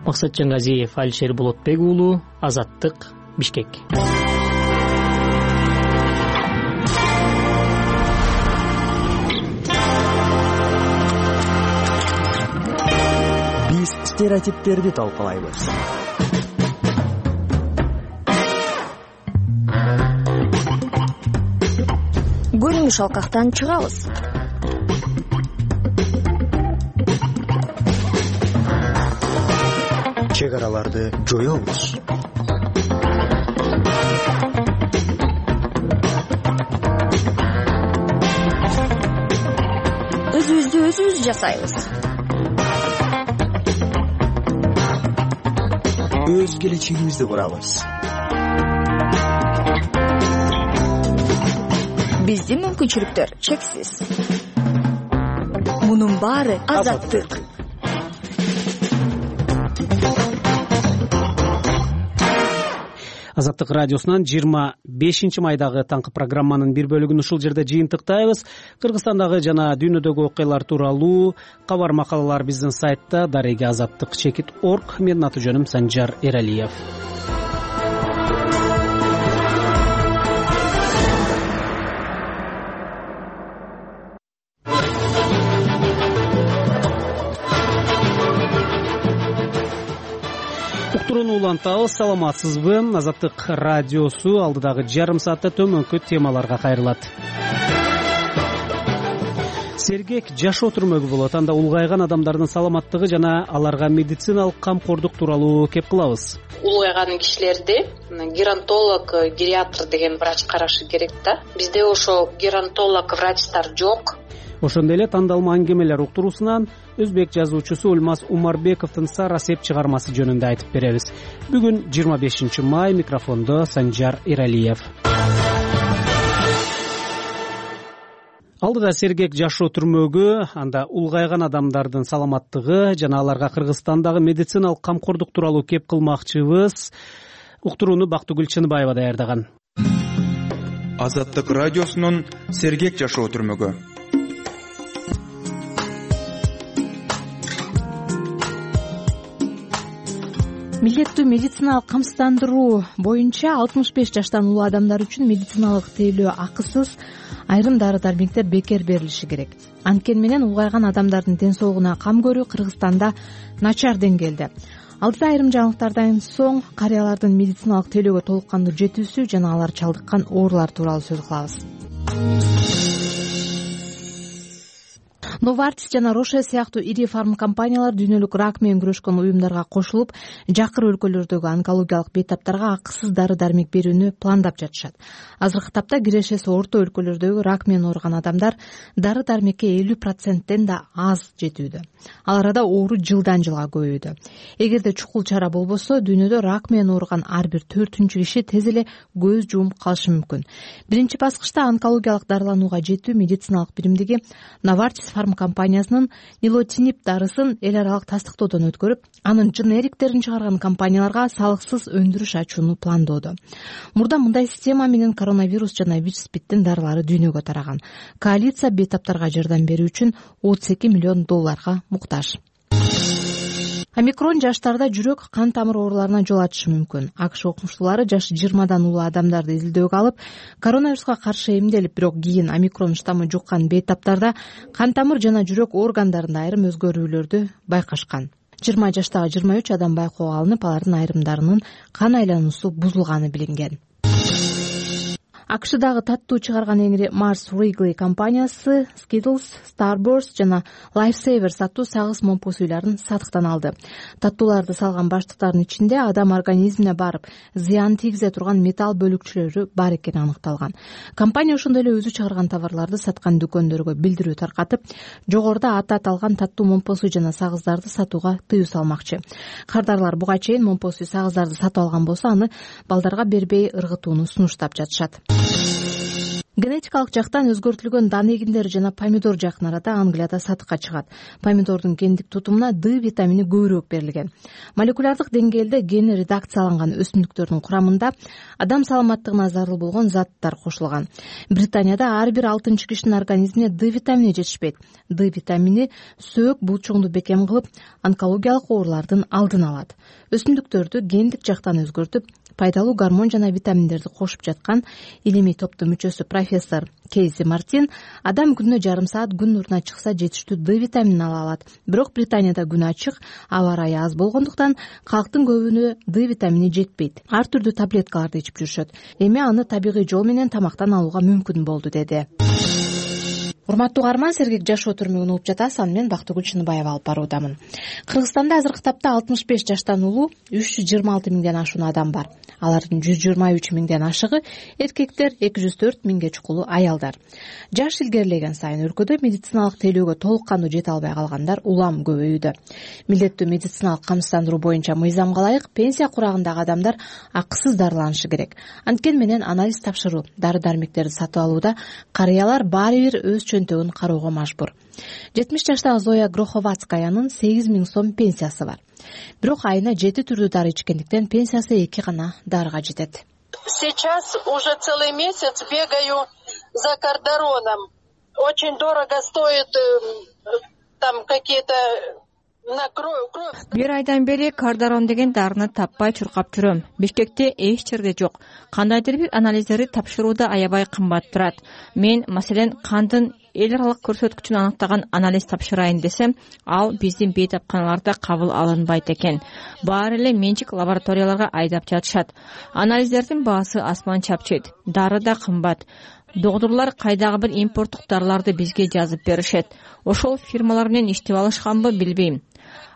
Максат Жаңгазиев, Алишер Болотбек уулу, Азаттык, Бишкек. Стереотиптерди талкалайбыз. Көрүнүш алкактан чыгабыз. Чек араларды жоёбуз. Өзүбүздү өзүбүз жасайбыз. Өз келечегибизди курабыз. Биздин мүмкүнчүлүктөр чексиз. Мунун баары азаттык. Азаттык радиосунан жыйырма бешинчи майдагы таңкы программанын бир бөлүгүн ушул жерде жыйынтыктайбыз. Кыргызстандагы жана дүйнөдөгү окуялар тууралуу кабар макалалар биздин сайтта дареги азаттык чекит орг. Менин аты жөнүм Санжар Эралиев. Уктурууну улантабыз. Саламатсызбы? Азаттык радиосу алдыдагы жарым саатта төмөнкү темаларга кайрылат. Сергек жашоо түрмөгү болот. Анда улгайган адамдардын саламаттыгы жана аларга медициналык камкордук тууралуу кеп кылабыз. Улгайган кишилерди геронтолог, гериатр деген врач карашы керек да. Бизде ошо геронтолог врачтар жок. Ошондой эле тандалма аңгемелер уктуруусунан өзбек жазуучусу Улмаз Умарбековдун Сара Сеп чыгармасы жөнүндө айтып беребиз. Бүгүн жыйырма бешинчи май, микрофондо Санжар Эралиев. Алдыда сергек жашоо түрмөгү, анда улгайган адамдардын саламаттыгы жана аларга Кыргызстандагы медициналык камкордук тууралуу кеп кылмакчыбыз. Уктурууну Бактыгүл Чыныбаева даярдаган. Азаттык радиосунун сергек жашоо түрмөгү. Милдеттүү медициналык камсыздандыруу боюнча алтымыш беш жаштан улуу адамдар үчүн медициналык тейлөө акысыз айрым дары-дармектер бекер берилиши керек. Анткени менен улгайган адамдардын ден соолугуна кам көрүү Кыргызстанда начар деңгээлде. Алдыда айрым жаңылыктардан соң карыялардын медициналык тейлөөгө толук кандуу жетүүсү жана алар чалдыккан оорулар тууралуу сөз кылабыз. Novartis жана Roche сыяктуу ири фарм компаниялар дүйнөлүк рак менен күрөшкөн уюмдарга кошулуп, жакыр өлкөлөрдөгү онкологиялык бейтаптарга акысыз дары-дармек берүүнү пландап жатышат. Азыркы тапта кирешеси орто өлкөлөрдөгү рак менен ооруган адамдар дары-дармекке элүү проценттен да аз жетүүдө. Ал арада оору жылдан жылга көбөйүүдө. Эгерде чукул чара болбосо, дүйнөдө рак менен ооруган ар бир төртүнчү киши тез эле көз жумуп калышы мүмкүн. Биринчи баскычта онкологиялык дарыланууга жетүү медициналык биримдиги Novartis компаниясынын нилотинип дарысын эл аралык тастыктоодон өткөрүп, анын дженериктерин чыгарган компанияларга салыксыз өндүрүш ачууну пландоодо. Мурда мындай система менен коронавирус жана ВИЧ-СПИДтин дарылары дүйнөгө тараган. Коалиция бейтаптарга жардам берүү үчүн отуз эки миллион долларга муктаж. Омикрон жаштарда жүрөк, кан тамыр ооруларына жол ачышы мүмкүн. АКШ окумуштуулары жашы жыйырмадан улуу адамдарды изилдөөгө алып, коронавируска каршы эмделип, бирок кийин омикрон штаммы жуккан бейтаптарда кан тамыр жана жүрөк органдарында айрым өзгөрүүлөрдү байкашкан. жыйырма жаштагы жыйырма үч адам байкоого алынып, алардын айрымдарынын кан айлануусу бузулганы билинген. АКШдагы таттуу чыгарган эңири Mars Wrigley компаниясы Skittles, Starburst жана Lifesavers аттуу сагыз момпу суйларын сатыктан алды. Таттууларды салган баштыктардын ичинде адам организмине барып, зыян тийгизе турган металл бөлүкчөлөрү бар экени аныкталган. Компания ошондой эле өзү чыгарган товарларды саткан дүкөндөргө билдирүү таркатып, жогоруда аты аталган таттуу момпу суу жана сагыздарды сатууга тыюу салмакчы. Кардарлар буга чейин момпу суу сагыздарды сатып алган болсо, аны балдарга бербей ыргытууну сунуштап жатышат. Генетикалык жактан өзгөртүлгөн дан эгиндери жана помидор жакын арада Англияда сатыкка чыгат. Помидордун гендик тутумуна Д витамини көбүрөөк берилген. Молекулярдык деңгээлде гени редакцияланган өсүмдүктөрдүн курамында адам саламаттыгына зарыл болгон заттар кошулган. Британияда ар бир алтынчы кишинин организмине Д витамини жетишпейт. Д витамини сөөк булчуңду бекем кылып, онкологиялык оорулардын алдын алат. Өсүмдүктөрдү гендик жактан өзгөртүп, пайдалуу гормон жана витаминдерди кошуп жаткан илимий топтун мүчөсү профессор Кейси Мартин адам күнүнө жарым саат күн нуруна чыкса жетиштүү Д витаминин ала алат. Бирок Британияда күн ачык, аба ырайы аз болгондуктан калктын көбүнө Д витамини жетпейт. Ар түрдүү таблеткаларды ичип жүрүшөт. Эми аны табигый жол менен тамактан алууга мүмкүн болду, деди. урматтуу угарман, Сергек жашоо түрмөгүн угуп жатасыз. Аны мен Бактыгүл Чыныбаева алып баруудамын. Кыргызстанда азыркы тапта алтымыш беш жаштан улуу үч жүз жыйырма алты миңден ашуун адам бар. Алардын жүз жыйырма үч миңден ашыгы эркектер, эки жүз төрт миңге чукулу аялдар. Жаш илгерилеген сайын өлкөдө медициналык тейлөөгө толук кандуу жете албай калгандар улам көбөйүүдө. Милдеттүү медициналык камсыздандыруу боюнча мыйзамга ылайык пенсия курагындагы адамдар акысыз дарыланышы керек. Анткени менен анализ тапшыруу, дары-дармектерди сатып алууда карыялар баары бир өз чөнтөгүн кароого мажбур. жетимиш жаштагы Зоя Гроховацкаянын сегиз миң сом пенсиясы бар. Бирок айына жети түрдүү дары ичкендиктен пенсиясы эки гана дарыга жетет. Сейчас уже целый месяц бегаю за Кардароном. Очень дорого стоит там какие-то на кровь. Бир айдан бери Кардарон деген дарыны таппай чуркап жүрөм. Бишкекте эч жерде жок. Кандайдыр бир анализдерди тапшырууда аябай кымбат турат. Мен, маселен, кандын эл аралык көрсөткүчүн аныктаган анализ тапшырайын десем, ал биздин бейтапканаларда кабыл алынбайт экен. Баары эле менчик лабораторияларга айдап жатышат. Анализдердин баасы асман чапчыйт. Дары да кымбат. Доктурлар кайдагы бир импорттук дарыларды бизге жазып беришет. Ошол фирмалар менен иштеп алышканбы билбейм.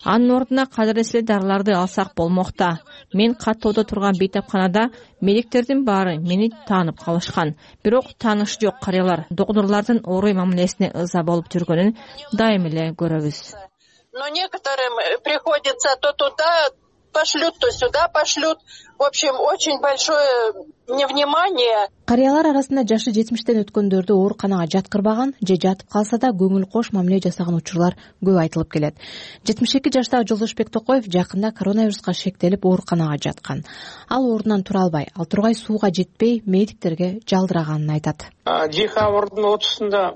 Анын ордуна кадырлуу эле дарыларды алсак болмок да. Мен каттоодо турган бейтапканада медиктердин баары мени таанып калышкан. Бирок таанышы жок карыялар доктурлардын орой мамилесине ыза болуп жүргөнүн дайым эле көрөбүз. Но некоторым приходится то туда пошлют, то сюда пошлют. В общем, очень большое невнимание. Карыялар арасында жашы жетимиштен өткөндөрдү ооруканага жаткырбаган же жатып калса да көңүл кош мамиле жасаган учурлар көп айтылып келет. жетимиш эки жаштагы Жолдошбек Токоев жакында коронавируска шектелип ооруканага жаткан. Ал ордунан тура албай, ал тургай сууга жетпей медиктерге жалдыраганын айтат. Декабрдын отузунда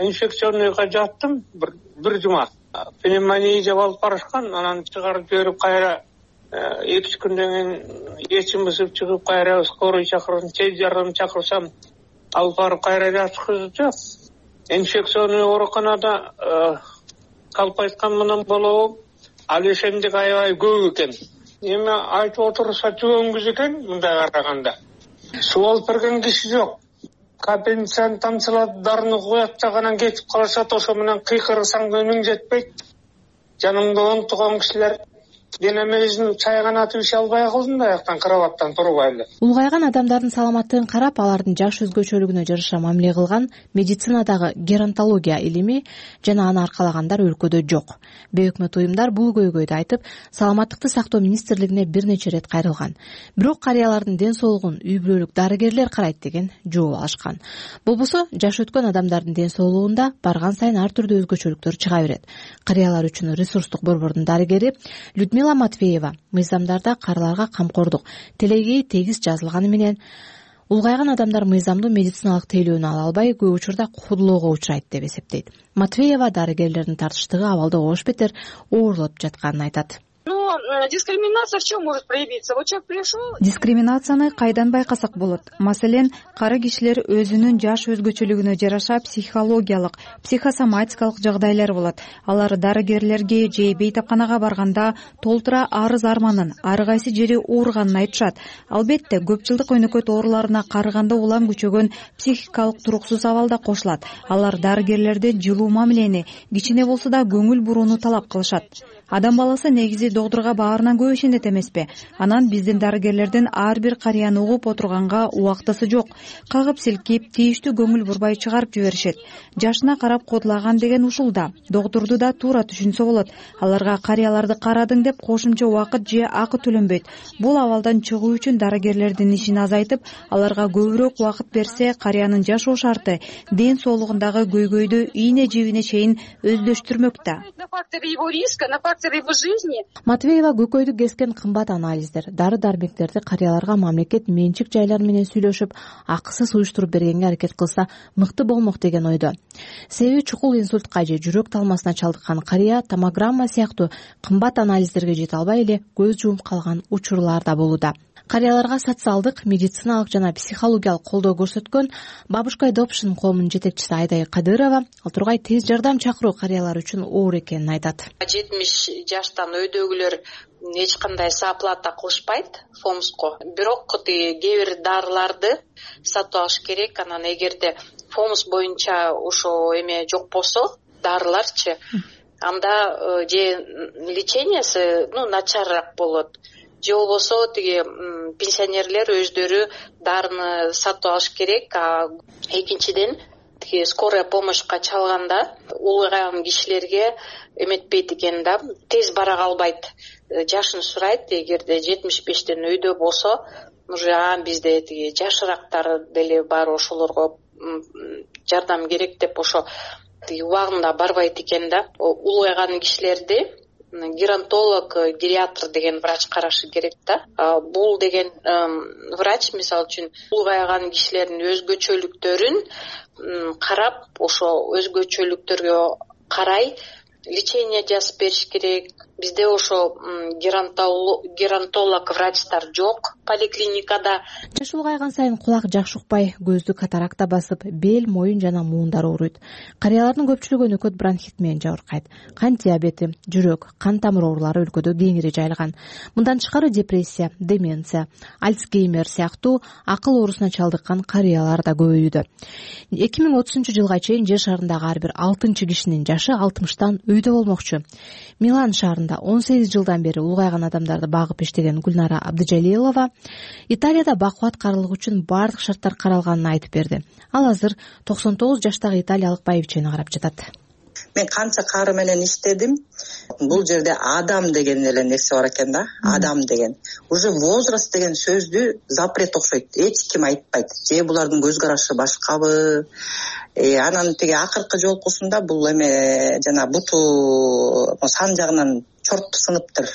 инфекционныйга жаттым бир бир жума. Пневмония жеп алып барышкан, анан чыгарып жиберип кайра эки үч күндөн кийин эчим бузуп чыгып кайра скорый чакырдым, тез жардам чакырсам алып барып кайра жаткызды. Инфекционный ооруканада калп айткан менен болобу, ал ошондой аябай көп экен. Эми айтып отурса жөнгүз экен мындай караганда. Суу алып берген киши жок. Капельницаны тамчылап дарыны коет да анан кетип калышат, ошо менен кыйкырсаң өнүң жетпейт. Жанымда онтуган кишилер денемизин чайганатып иш албай калдым да аяктан кроваттан турбай эле. Улгайган адамдардын саламаттыгын карап, алардын жаш өзгөчөлүгүнө жараша мамиле кылган медицинадагы геронтология илими жана аны аркалагандар өлкөдө жок. Бейөкмөт уюмдар бул көйгөйдү айтып, саламаттыкты сактоо министрлигине бир нече ирет кайрылган. Бирок карыялардын ден соолугун үй бүлөлүк дарыгерлер карайт деген жооп алышкан. Болбосо жаш өткөн адамдардын ден соолугунда барган сайын ар түрдүү өзгөчөлүктөр чыга берет. Карыялар үчүн ресурстук борбордун дарыгери Людмила Матвеева мыйзамдарда карыларга камкордук телегей тегиз жазылганы менен улгайган адамдар мыйзамдуу медициналык тейлөөнү ала албай көп учурда куудулоого учурайт деп эсептейт. Матвеева дарыгерлердин тартыштыгы абалды ош бетер оорлоп жатканын айтат. Но дискриминация в чем может проявиться? Вот человек пришел. Дискриминацияны кайдан байкасак болот? Маселен, кары кишилер өзүнүн жаш өзгөчөлүгүнө жараша психологиялык, психосоматикалык жагдайлар болот. Алар дарыгерлерге же бейтапканага барганда толтура арыз арманын, ар кайсы жери ооруганын айтышат. Албетте, көп жылдык өнөкөт ооруларына карыганда улам күчөгөн психикалык туруксуз абал да кошулат. Алар дарыгерлерден жылуу мамилени, кичине болсо да көңүл бурууну талап кылышат. Адам баласы негизи доктурга баарынан көп ишенет эмеспи? Анан биздин дарыгерлердин ар бир карыяны угуп отурганга убактысы жок. Кагып силкип, тийиштүү көңүл бурбай чыгарып жиберишет. Жашына карап кодулаган деген ушулда. Доктурду да туура түшүнсө болот. Аларга карыяларды карадың деп кошумча убакыт же акы төлөнбөйт. Бул абалдан чыгуу үчүн дарыгерлердин ишин азайтып, аларга көбүрөөк убакыт берсе, карыянын жашоо шарты, ден соолугундагы көйгөйдү ийне жибине чейин өздөштүрмөк да. Матвеева көкөйдү кескен кымбат анализдер, дары-дармектерди карыяларга мамлекет менчик жайлар менен сүйлөшүп, акысыз уюштуруп бергенге аракет кылса мыкты болмок деген ойдо. Себеби чукул инсультка же жүрөк талмасына чалдыккан карыя томограмма сыяктуу кымбат анализдерге жете албай эле көз жумуп калган учурлар да болууда. Карыяларга социалдык, медициналык жана психологиялык колдоо көрсөткөн Бабушка Adoption коомунун жетекчиси Айдай Кадырова ал тургай тез жардам чакыруу карыялар үчүн оор экенин айтат. жетимиш жаштан өйдөгүлөр эч кандай сооплата кылышпайт фомско. Бирок кээ бир дарыларды сатып алыш керек. Анан эгерде фомс боюнча ошо эме жок болсо, дарыларчы, анда же лечениясы ну начарыраак болот, же болбосо тиги пенсионерлер өздөрү дарыны сатып алыш керек. А экинчиден тиги скорая помощька чалганда улгайган кишилерге эметпейт экен да, тез бара калбайт, жашын сурайт. Эгерде жетимиш бештен өйдө болсо, уже а бизде тиги жашыраактар деле бар, ошолорго жардам керек деп ошо тиги убагында барбайт экен да. Улгайган кишилерди геронтолог, гериатр деген врач карашы керек да. Бул деген врач мисалы үчүн улгайган кишилердин өзгөчөлүктөрүн карап, ошо өзгөчөлүктөргө карай лечение жазып бериш керек. Бизде ошо геронтолог врачтар жок поликлиникада. Жаш улгайган сайын кулак жакшы укпай, көздү катаракта басып, бел, моюн жана муундар ооруйт. Карыялардын көпчүлүгү өнөкөт бронхит менен жабыркайт. Кант диабети, жүрөк, кан тамыр оорулары өлкөдө кеңири жайылган. Мындан тышкары депрессия, деменция, альцгеймер сыяктуу акыл оорусуна чалдыккан карыялар да көбөйүүдө. эки миң отузунчу жылга чейин жер шарындагы ар бир алтынчы кишинин жашы алтымыштан өйдө болмокчу. Милан шаарында он сегиз жылдан бери улгайган адамдарды багып иштеген Гүлнара Абдыжалилова Италияда бакубат карылык үчүн бардык шарттар каралганын айтып берди. Ал азыр токсон тогуз жаштагы италиялык байбичени карап жатат. Мен канча кары менен иштедим. Бул жерде адам деген эле нерсе бар экен да. Адам деген. Уже возраст деген сөздү запрет окшойт. Эч ким айтпайт. Же булардын көз карашы башкабы? Э, анан тиги акыркы жолкусунда бул эме жана буту сан жагынан чорту сыныптыр.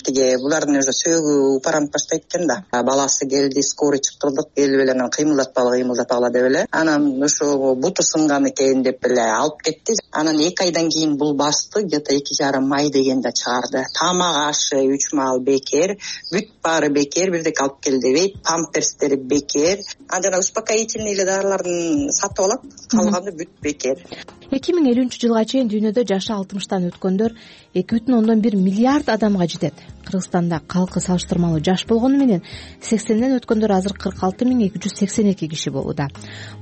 Тиги булардын уже сөөгү упаранып баштайт экен да. Баласы келди, скорый чакырдык, келип эле анан кыймылдатпагыла, кыймылдатпагыла деп эле. Анан ошо буту сынган экен деп эле алып кетти. Анан эки айдан кийин бул басты, где-то эки жарым ай дегенде чыгарды. Тамак ашы үч маал бекер, бүт баары бекер, бирдек алып кел дебейт, памперстери бекер. Анан успокоительный дарыларын сатып алат, калганы бүт бекер. эки миң элүүнчү жылга чейин дүйнөдө жашы алтымыштан өткөндөр эки бүтүн ондон бир миллиард адамга жетет. Кыргызстанда калкы салыштырмалуу жаш болгону менен сексенден өткөндөр азыр кырк алты миң эки жүз сексен эки киши болууда.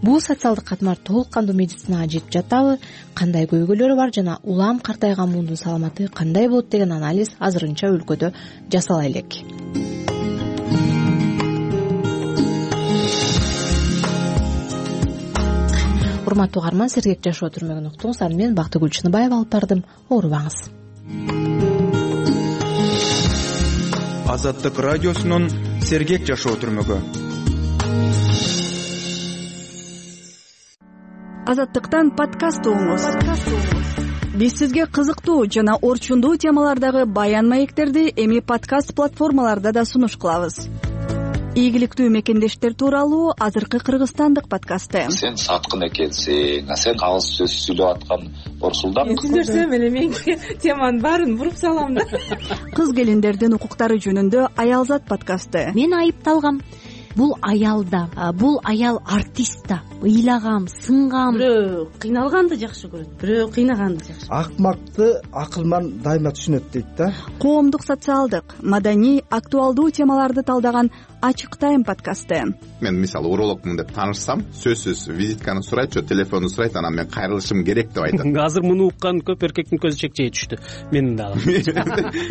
Бул социалдык катмар толук кандуу медицинага жетип жатабы, кандай көйгөйлөрү бар жана улам картайган муундун саламаты кандай болот деген анализ азырынча өлкөдө жасала элек. Урматтуу угарман, сергек жашоо түрмөгүн уктуңуз. Аны мен Бактыгүл Чыныбаева алып бардым. Оорубаңыз. Азаттык радиосунун сергек жашоо түрмөгү. Азаттыктан подкаст угуңуз. Биз сизге кызыктуу жана орчундуу темалардагы баян маектерди эми подкаст платформаларда да сунуш кылабыз. Ийгиликтүү мекендештер тууралуу азыркы кыргызстандык подкасты. Сен саткын экенсиң, сен кагыз сөз сүйлөп аткан Орсулдан. Мен сүйлөсөм эле мен теманын баарын буруп салам да. Кыз келиндердин укуктары жөнүндө Аялзат подкасты. Мен айыпталгам. Бул аял да, бул аял артист да. Ыйлагам, сынгам. Бирөө кыйналганды жакшы көрөт, бирөө кыйнаганды жакшы. Акмакты акылман дайыма түшүнөт дейт да. Коомдук, социалдык, маданий, актуалдуу темаларды талдаган Ачык тайм подкасты. Мен мисалы урологмун деп таанышсам, сөзсүз визитканы сурайт, телефонду сурайт, анан мен кайрылышым керек деп айтат. Азыр муну уккан көп эркектин көзү чекчей түштү. Менин дагы.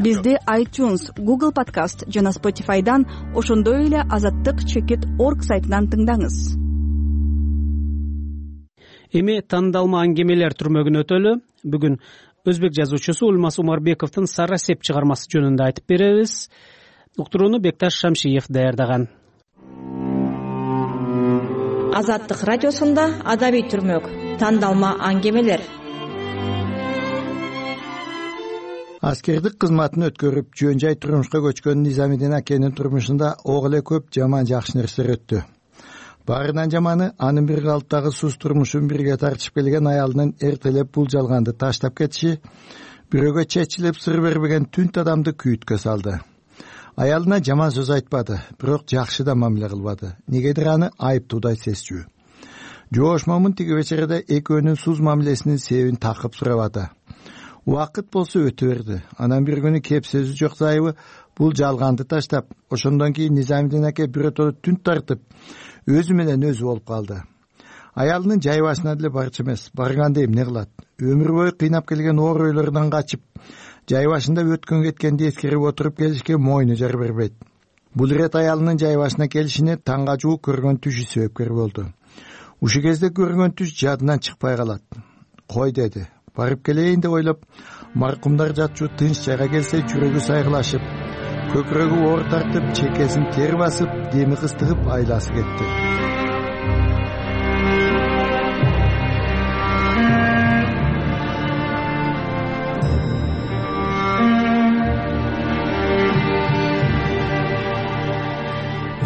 Бизде iTunes, Google Podcast жана Spotify'дан, ошондой эле азаттык чекит точка орг сайтынан тыңдаңыз. Эми тандалма аңгемелер түрмөгүн өтөлү. Бүгүн өзбек жазуучусу Улмас Умарбековдун Сара Сеп чыгармасы жөнүндө айтып беребиз. Уктурууну Бекташ Шамшиев даярдаган. Азаттык радиосунда адабий түрмөк, тандалма аңгемелер. Аскердик кызматын өткөрүп, жөн жай турмушка көчкөн Низамидин акенин турмушунда ого эле көп жаман жакшы нерселер өттү. Баарынан жаманы анын бир калыптагы сус турмушун бирге тартышып келген аялынын эртелеп бул жалганды таштап кетиши, бирөөгө чечилип сыр бербеген түнт адамды күйүткө салды. Аялына жаман сөз айтпады, бирок жакшы да мамиле кылбады. Негедир аны айыптуудай сезчү. Жоош Момун тиги вечерде экөөнүн суз мамилесинин себебин такып сурабады. Убакыт болсо өтө берди. Анан бир күнү кеп сөзү жок зайыбы бул жалганды таштап, ошондон кийин Низамидин аке бирөтө түнт тартып, өзү менен өзү болуп калды. Аялынын жай башына деле барчу эмес, барганда эмне кылат? Өмүр бою кыйнап келген оор ойлордон качып, жай башында өткөн кеткенди эскерип отуруп келишке мойну жар бербейт. Бул ирет аялынын жай башына келишине таңга жуук көргөн түшү себепкер болду. Ушул кезде көргөн түш жадынан чыкпай калат. Кой деди, барып келейин деп ойлоп, маркумдар жатчу тынч жайга келсе жүрөгү сайгылашып, көкүрөгү оор тартып, чекесин тер басып, деми кыстыгып айласы кетти.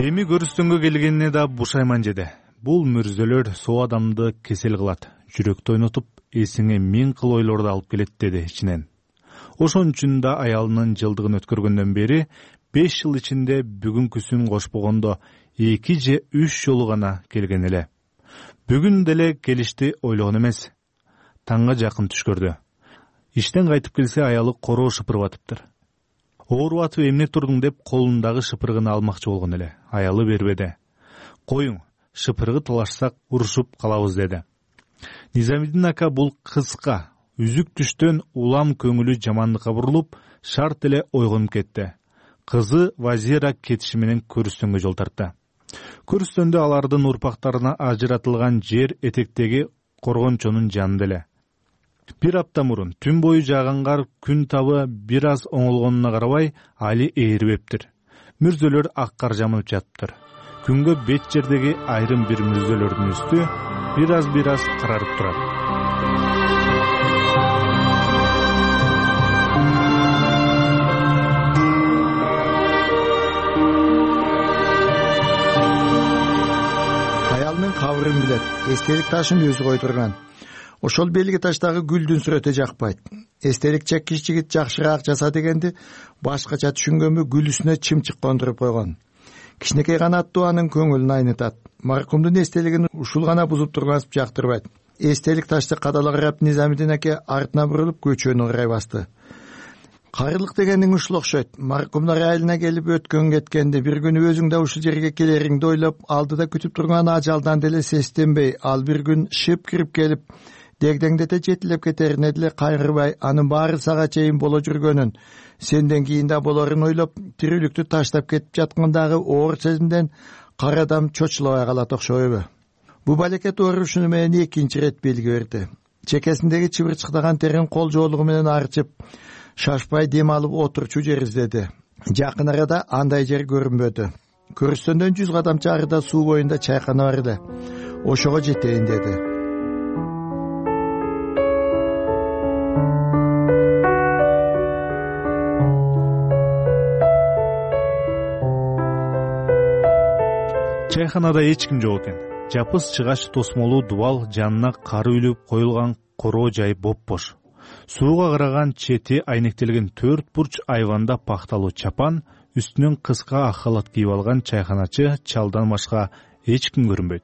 Эми көрүстөнгө келгенине да бушайман жеди. Бул мүрзөлөр соо адамды кесел кылат, жүрөктү ойнотуп, эсиңе миң кыл ойлорду алып келет деди ичинен. Ошон үчүн да аялынын жылдыгын өткөргөндөн бери беш жыл ичинде бүгүнкүсүн кошпогондо эки же үч жолу гана келген эле. Бүгүн деле келишти ойлогон эмес. Таңга жакын түш көрдү. Иштен кайтып келсе аялы короо шыпырып атыптыр. Ооруп атып эмне турдуң деп колундагы шыпыргыны алмакчы болгон эле. Аялы бербеди. Коюң, шыпыргы талашсак урушуп калабыз деди. Низамиддин ака бул кыска, үзүк түштөн улам көңүлү жамандыкка бурулуп, шарт эле ойгонуп кетти. Кызы Вазира кетиши менен көрүстөнгө жол тартты. Көрүстөндө алардын урпактарына ажыратылган жер этектеги коргончонун жанында эле. Бир апта мурун түн бою жааган кар күн табы бир аз оңолгонуна карабай али ээрибептир. Мүрзөлөр ак кар жамылып жатыптыр. Күнгө бет жердеги айрым бир мүрзөлөрдүн үстү бир аз бир аз карарып турат. Аялынын кабырын билет, эстелик ташын өзү койдурган. Ошол белги таштагы гүлдүн сүрөтү жакпайт. Эстелик чеккич жигит жакшыраак жаса дегенди башкача түшүнгөнбү гүл үстүнө чымчык кондуруп койгон. Кичинекей гана аттуу анын көңүлүн айнытат. Маркумдун эстелигин ушул гана бузуп тургансып жактырбайт. Эстелик ташты кадала карап Низамиддин аке артына бурулуп көчөнү карай басты. Карылык дегениң ушул окшойт. Маркумдар айылына келип өткөн кеткенди, бир күнү өзүң да ушул жерге келериңди ойлоп, алдыда күтүп турган ажалдан деле сестенбей, ал бир күн шып кирип келип, дегдеңдете жетилеп кетерине деле кайгырбай, анын баары сага чейин боло жүргөнүн, сенден кийин да болорун ойлоп, тирүүлүктү таштап кетип жаткандагы оор сезимден кара адам чочулабай калат окшойбу? Бу балекет оорушуну менен экинчи ирет белги берди. Чекесиндеги чыбырчыктаган терин кол жоолугу менен арчып, шашпай дем алып отурчу жер издеди. Жакын арада андай жер көрүнбөдү. Көрүстөндөн жүз кадам чарыда суу боюнда чайкана бар эле. Ошого жетейин деди. Чайханада эч ким жок экен. Жапыс чыгач тосмолуу дубал, жанына кары үлүп коюлган короо жай боп-бош. Сууга караган чети айнектелген төрт бурч айванда пакталуу чапан, үстүнөн кыска ак халат кийип алган чайханачы чалдан башка эч ким көрүнбөйт.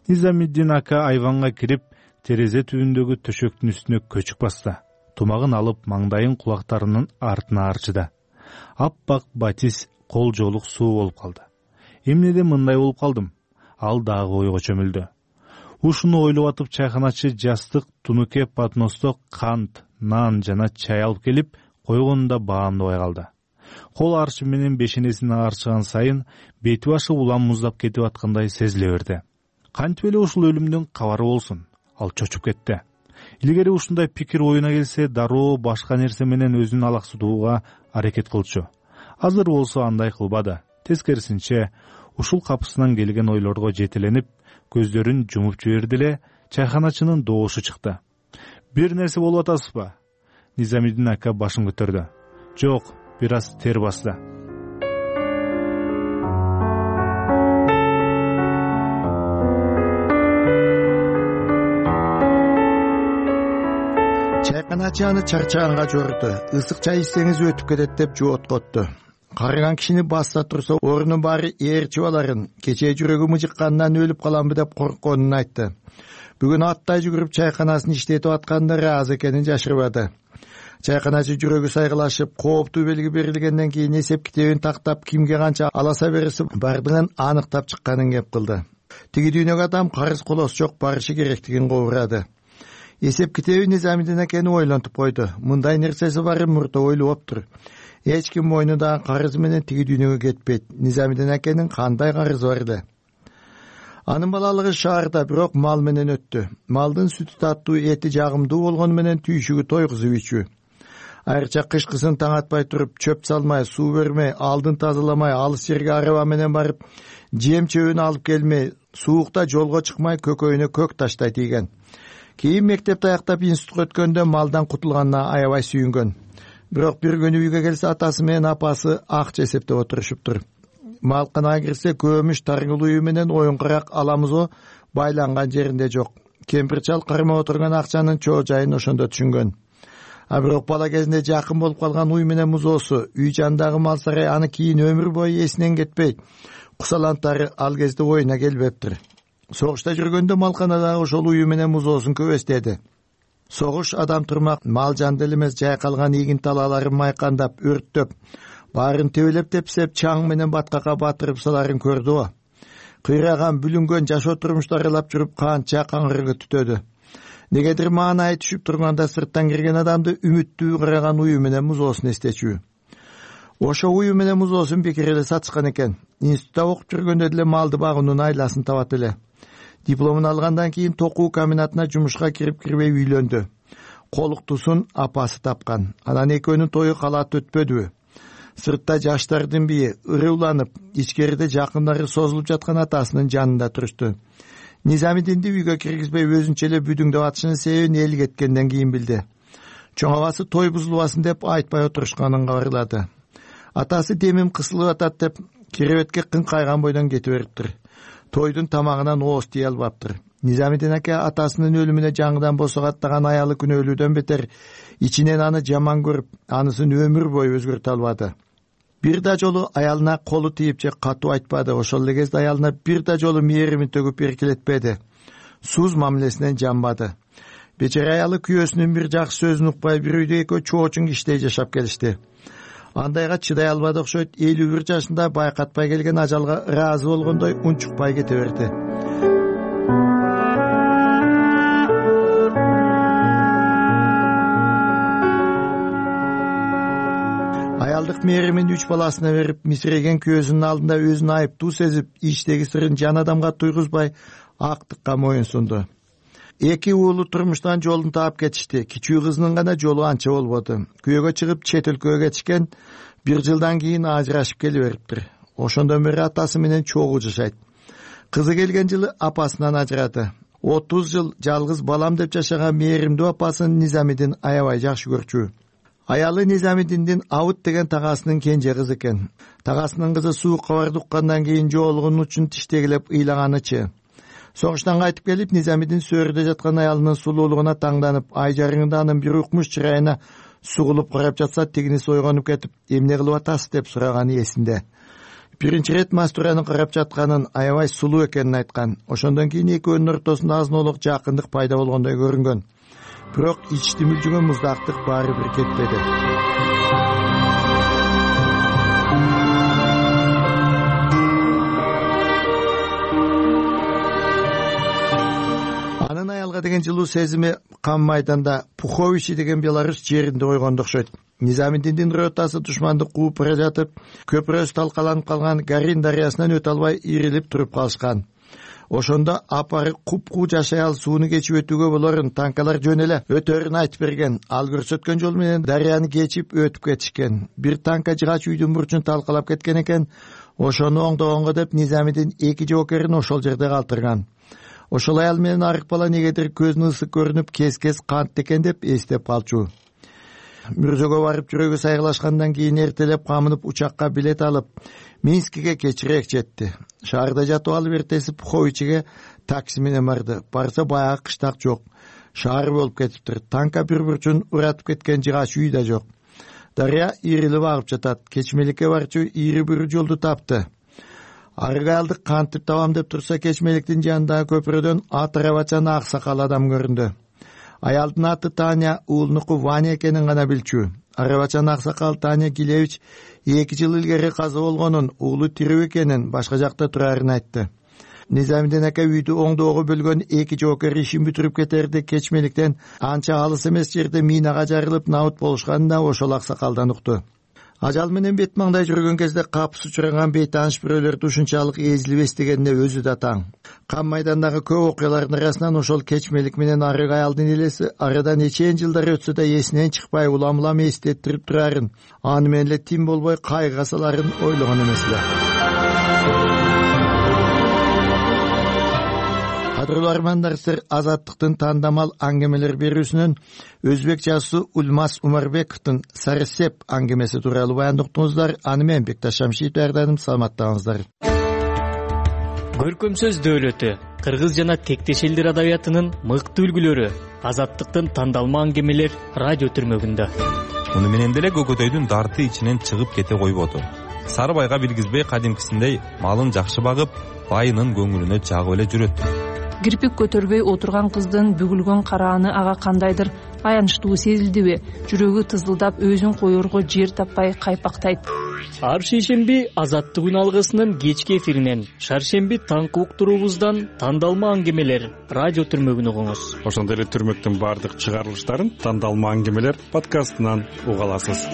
Низамиддин ака айванга кирип, терезе түбүндөгү төшөктүн үстүнө көчүк басты. Тумагын алып, маңдайын кулактарынын артына арчыды. Аппак батис кол жоолук суу болуп калды. Эмнеден мындай болуп калдым? Ал дагы ойго чөмүлдү. Ушуну ойлоп атып чайханачы жастык, тунуке подносто кант, нан жана чай алып келип койгонунда баамдабай калды. Кол арчы менен бешенесин арчыган сайын бети башы улам муздап кетип аткандай сезиле берди. Кантип эле ушул өлүмдүн кабары болсун? Ал чочуп кетти. Илгери ушундай пикир оюна келсе, дароо башка нерсе менен өзүн алаксытууга аракет кылчу. Азыр болсо андай кылбады. Тескерисинче, ушул капысынан келген ойлорго жетеленип, көздөрүн жумуп жиберди эле, чайханачынын доошу чыкты. Бир нерсе болуп атасызбы? Низамиддин ака башын көтөрдү. Жок, бир аз тер басты. Чайканачы аны чарчаганга жорду. Ысык чай ичсеңиз өтүп кетет деп жооткотту. Карыган кишини басса турса, орунун баары ээрчип аларын, кечээ жүрөгү мыжыкканынан өлүп каламбы деп коркконун айтты. Бүгүн аттай жүгүрүп чайканасын иштетип атканда ыраазы экенин жашырбады. Чайканачы жүрөгү сайгылашып, кооптуу белги берилгенден кийин эсеп китебин тактап, кимге канча аласа бериси бардыгын аныктап чыкканын кеп кылды. Тиги дүйнөгө адам карыз колосу жок барышы керектигин кобурады. Эсеп китеби Низамидин акени ойлонтуп койду. Мындай нерсеси бары мурда ойлоптур. Эч ким мойнундагы карызы менен тиги дүйнөгө кетпейт. Низамидин акенин кандай карызы бар эле? Анын балалыгы шаарда, бирок мал менен өттү. Малдын сүтү таттуу, эти жагымдуу болгону менен түйшүгү тойгузуп ичүү. Айрыкча кышкысын таң атпай туруп, чөп салмай, суу бермей, алдын тазаламай, алыс жерге араба менен барып, жем чөбүн алып келмей, суукта жолго чыкмай, көкөйүнө көк таштай тийген. Кийин мектепти аяктап институтка өткөндө малдан кутулганына аябай сүйүнгөн. Бирок бир күнү үйгө келсе, атасы менен апасы акча эсептеп отурушуптур. Малканага кирсе, көмүш таргыл үйү менен оюнкурак аламызо байланган жеринде жок. Кемпир чал кармап отурган акчанын чоо жайын ошондо түшүнгөн. А бирок бала кезинде жакын болуп калган уй менен музоосу, үй жанындагы мал сарай аны кийин өмүр бою эсинен кетпей. Кусалантары ал кезде оюна келбептир. Согушта жүргөндө малканадагы ошол ую менен музоосун көбөстеди. Согуш адам турмак, мал жанды эле эмес, жайкалган ийгин талааларын майкандап, өрттөп, баарын тебелеп тепсеп, чаң менен баткакка батырып саларын көрдү. Кыйраган, бүлүнгөн жашоо турмушту аралап жүрүп канча каңгырыгы түтөдү. Негедир маанайы түшүп турганда сырттан кирген адамды үмүттүү кыраган ую менен музоосун эстечүү. Ошо ую менен музоосун бекер эле сатышкан экен. Институтта окуп жүргөндө деле малды багуунун айласын табат эле. Дипломун алгандан кийин токуу комбинатына жумушка кирип-кирбей үйлөндү. Колуктусун апасы тапкан. Анан экөөнүн тою калаат өтпөдүбү. Сыртта жаштардын бии ыры уланып, ичкерide жакындары созулуп жаткан атасынын жанында турушту. Низамидинди үйгө киргизбей өзүнчө эле бүдүңдөп атышынын себебин эл кеткенден кийин билди. Чоң абасы той бузулбасын деп айтпай отурушканын кабарлады. Атасы демим кысылып атат деп керебетке кыңкайган бойдон кете бериптир. Тойдун тамагынан ооз тие албаптыр. Низамидин аке атасынын өлүмүнө жаңыдан босогаттаган аялы күнөөлүүдөн бетер ичинен аны жаман көрүп, анысын өмүр бою өзгөртө албады. Бир да жолу аялына колу тийип же катуу айтпады. Ошол эле кезде аялына бир да жолу мээримин төгүп эркелетпеди. Суз мамилесинен жанбады. Бечара аялы күйөөсүнүн бир жакшы сөзүн укпай бир үйдө экөө чоочун киштей жашап келишти. Андайга чыдай албады окшойт. элүү бир жашында байкатпай келген ажалга ыраазы болгондой унчукпай кете берди. Аялдык мээримин үч баласына берип, мисиреген күйөөсүнүн алдында өзүн айыптуу сезип, ичтеги сырын жан адамга туйгузбай актыкка моюн сунду. Эки уулу турмуштан жолун таап кетишти. Кичүү кызынын гана жолу анча болбоду. Күйөөгө чыгып чет өлкөгө кетишкен, бир жылдан кийин ажырашып келе бериптир. Ошондон бери атасы менен чогуу жашайт. Кызы келген жылы апасынан ажырады. отуз жыл жалгыз балам деп жашаган мээримдүү апасын Низамидин аябай жакшы көрчү. Аялы Низамидиндин Абыт деген тагасынын кенже кызы экен. Тагасынын кызы суук кабарды уккандан кийин жоолугунун учун тиштегилеп ыйлаганычы. Согуштан кайтып келип, Низамидин сөөрүдө жаткан аялынын сулуулугуна таңданып, ай жарыңында анын бир укмуш чырайына сугулуп карап жатса, тигиниси ойгонуп кетип, эмне кылып атасыз деп сураганы эсинде. Биринчи ирет Мастураны карап жатканын, аябай сулуу экенин айткан. Ошондон кийин экөөнүн ортосунда азын-олук жакындык пайда болгондой көрүнгөн. Бирок ичти мүлжүгөн муздактык баары бир кетпеди. Анын аялга деген жылуу сезими кам майданда Пуховичи деген Беларусь жеринде ойгонду окшойт. Низамидиндин ротасы душманды кууп бара жатып, көпүрөсү талкаланып калган Гарин дарыясынан өтө албай ирилип туруп калышкан. Ошондо апары куп-куу жашай ал сууну кечип өтүүгө болорун, танкалар жөн эле өтөрүн айтып берген. Ал көрсөткөн жол менен дарыяны кечип өтүп кетишкен. Бир танка жыгач үйдүн бурчун талкалап кеткен экен. Ошону оңдогонго деп Низамидин эки жоокерин ошол жерде калтырган. Ошол аял менен арык бала негедир көзүнүн ысык көрүнүп, кес-кес кантты экен деп эстеп калчу. Мүрзөгө барып жүрөгү сайгылашкандан кийин эртелеп камынып учакка билет алып, Минскиге кечирээк жетти. Шаарда жатып алып эртеси Пуховичиге такси менен барды. Барса баягы кыштак жок. Шаар болуп кетиптир. Танка бир бурчун уратып кеткен жыгач үй да жок. Дарыя ирилип агып жатат. Кечмеликке барчу ири бир жолду тапты. Арыгалдык кантип табам деп турса, Кечмеликтин жанындагы көпүрөдөн ат арабачан ак сакал адам көрүндү. Аялдын аты Таня, уулунуку Ваня экенин гана билчү. Арабачан ак сакал Таня Гилевич эки жыл илгери каза болгонун, уулу тирүү экенин, башка жакта турарын айтты. Низамиден ака үйдү оңдоого бөлгөн эки жоокер ишин бүтүрүп кетерди. Кечмеликтен анча алыс эмес жерде минага жарылып набыт болушканына ошол аксакалдан укту. Ажал менен бет маңдай жүргөн кезде капыс учураган бейтааныш бирөөлөрдү ушунчалык эзилип эстегенине өзү да таң. Кам майдандагы көп окуялардын арасынан ошол Кечмелик менен Арык аялдын элеси арадан нечен жылдар өтсө да эсинен чыкпай улам-улам эстеттирип турарын, аны менен эле тим болбой кайгыга саларын ойлогон эмес эле. Кадырлуу армандар, сиздер Азаттыктын тандамал аңгемелер берүүсүнөн өзбек жазуусу Улмаз Умарбековдун Сарсеп аңгемеси тууралуу баяндыктыңыздар. Аны менен Бекташ Шамшиев даярдадым. Саламаттаңыздар. Көркөм сөз дөөлөтү, кыргыз жана тектеш элдер адабиятынын мыкты үлгүлөрү Азаттыктын тандалма аңгемелер радио түрмөгүндө. Муну менен деле көкөтөйдүн дарты ичинен чыгып кете койбоду. Сары байга билгизбей кадимкисиндей малын жакшы багып, байынын көңүлүнө жагып эле жүрөт. Кирпик көтөрбөй отурган кыздын бүгүлгөн карааны ага кандайдыр аянычтуу сезилдиби? Жүрөгү тызылдап өзүн коерго жер таппай кайпактайт. Ар шейшемби Азаттык алгысынын кечки эфиринен, шаршемби таңкы уктуруубуздан тандалма аңгемелер радио түрмөгүн угуңуз. Ошондой эле түрмөктүн баардык чыгарылыштарын тандалма аңгемелер подкастынан уга аласыз.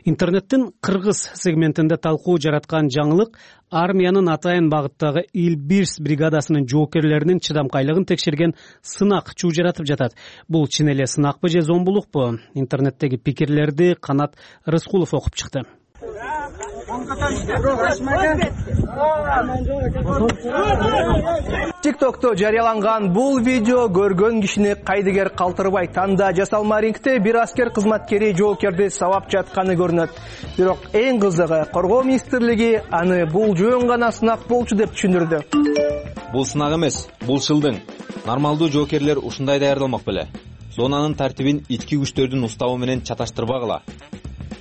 Интернеттин кыргыз сегментинде талкуу жараткан жаңылык армиянын атайын багыттагы Илбирс бригадасынын жоокерлеринин чыдамкайлыгын текшерген сынак чуу жаратып жатат. Бул чын эле сынакпы же зомбулукпу? Интернеттеги пикирлерди Канат Рыскулов окуп чыкты. тиктокто жарыяланган бул видео көргөн кишини кайдыгер калтырбайт. Анда жасалма рингте бир аскер кызматкери жоокерди сабап жатканы көрүнөт. Бирок эң кызыгы, коргоо министрлиги аны бул жөн гана сынак болчу деп түшүндүрдү. Бул сынак эмес, бул шылдың. Нормалдуу жоокерлер ушундай даярдалмак беле. Зонанын тартибин ички күчтөрдүн уставы менен чаташтырбагыла.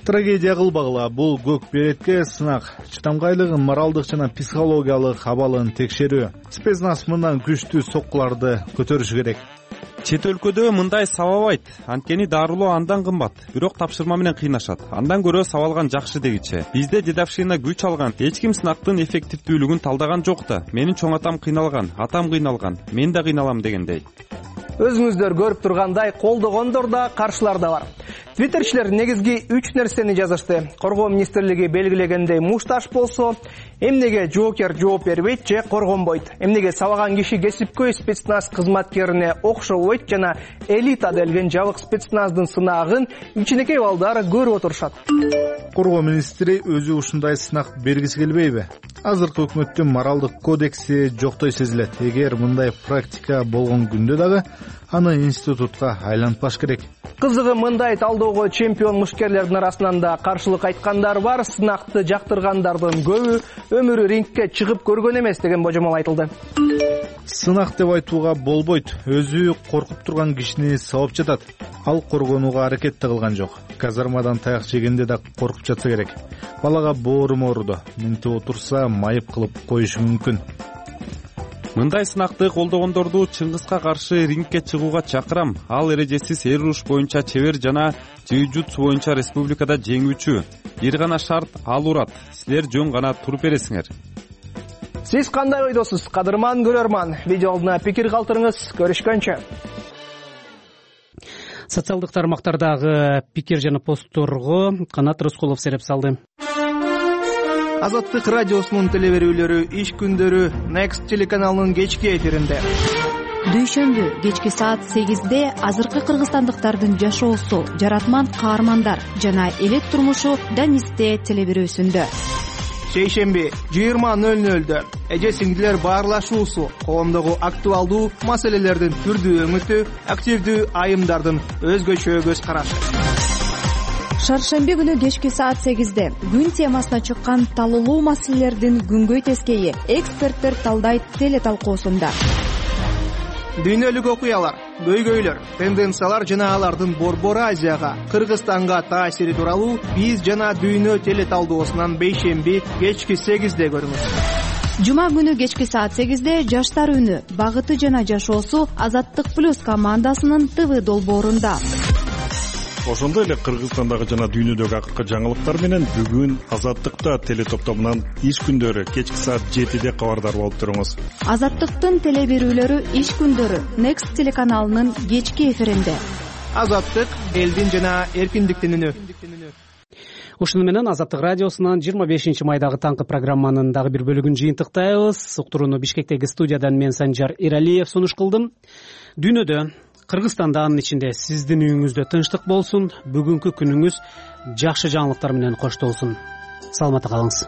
Трагедия кылбагыла, бул көк беретке сынак. Чыдамкайлыгын, моралдык жана психологиялык абалын текшерүү. Спецназ мындан күчтүү соккуларды көтөрүшү керек. Чет өлкөдө мындай сабабайт, анткени дарылоо андан кымбат, бирок тапшырма менен кыйнашат. Андан көрө сабалган жакшы дегиче. Бизде дедовщина күч алган, эч ким сынактын эффективдүүлүгүн талдаган жок да. Менин чоң атам кыйналган, атам кыйналган, мен да кыйналам дегендей. Өзүңүздөр көрүп тургандай колдогондор да, каршылар да бар. Твиттерчилер негизги үч нерсени жазышты. Коргоо министрлиги белгилегендей мушташ болсо, эмнеге жоокер жооп бербейт же коргонбойт? Эмнеге сабаган киши кесипкөй спецназ кызматкерине окшобойт жана элита делген жабык спецназдын сынагын кичинекей балдар көрүп отурушат? Коргоо министри өзү ушундай сынак бергиси келбейби? Азыркы өкмөттүн моралдык кодекси жоктой сезилет. Эгер мындай практика болгон күндө дагы аны институтка айлантпаш керек. Кызыгы, мындай талдоого чемпион мушкерлердин арасынан да каршылык айткандар бар. Сынакты жактыргандардын көбү өмүрү рингке чыгып көргөн эмес деген божомол айтылды. Сынак деп айтууга болбойт. Өзү коркуп турган кишини сабап жатат. Ал коргонууга аракет да кылган жок. Казармадан таяк жегенде да коркуп жатса керек. Балага боорум ооруду. Минтип отурса майып кылып коюшу мүмкүн. Мындай сынакты колдогондорду Чыңгызга каршы рингке чыгууга чакырам. Ал эрежесиз эр уруш боюнча чебер жана джиу-джитсу боюнча республикада жеңүүчү. Бир гана шарт, ал урат. Силер жөн гана туруп бересиңер. Сиз кандай ойдосуз, кадырман көрөрман? Видеода пикир калтырыңыз. Көрүшкөнчө. Социалдык тармактардагы пикир жана постторго Канат Рыскулов сереп салды. Азаттык радиосунун телеберүүлөрү иш күндөрү Next телеканалынын кечки эфиринде. Дүйшөмбү кечки саат сегизде азыркы кыргызстандыктардын жашоосу, жаратман каармандар жана элет турмушу Данисте телеберүүсүндө. Шейшемби жыйырма нөл нөлдө эже сиңдилер баарлашуусу, коомдогу актуалдуу маселелердин түрдүү өңүтү, активдүү айымдардын өзгөчө көз карашы. Шаршемби күнү кечки саат сегизде күн темасына чыккан талуулуу маселелердин күнгөй тескейи эксперттер талдайт теле талкуусунда. Дүйнөлүк окуялар, көйгөйлөр, тенденциялар жана алардын Борбор Азияга, Кыргызстанга таасири тууралуу биз жана дүйнө теле талдоосунан бейшемби кечки сегизде көрүңүз. Жума күнү кечки саат сегизде жаштар үнү, багыты жана жашоосу Азаттык плюс командасынын ТВ долбоорунда. ошондой эле Кыргызстандагы жана дүйнөдөгү акыркы жаңылыктар менен бүгүн Азаттыкта телетоптомунан иш күндөрү кечки саат жетиде кабардар болуп туруңуз. Азаттыктын теле берүүлөрү иш күндөрү Next телеканалынын кечки эфиринде. Азаттык элдин жана эркиндиктин үнү. Ушуну менен Азаттык радиосунан жыйырма бешинчи майдагы таңкы программанын дагы бир бөлүгүн жыйынтыктайбыз. Уктурууну Бишкектеги студиядан мен Санжар Эралиев сунуш кылдым. Дүйнөдө, Кыргызстанда, анын ичинде сиздин үйүңүздө тынчтык болсун. Бүгүнкү күнүңүз жакшы жаңылыктар менен коштолсун. Саламатта калыңыз.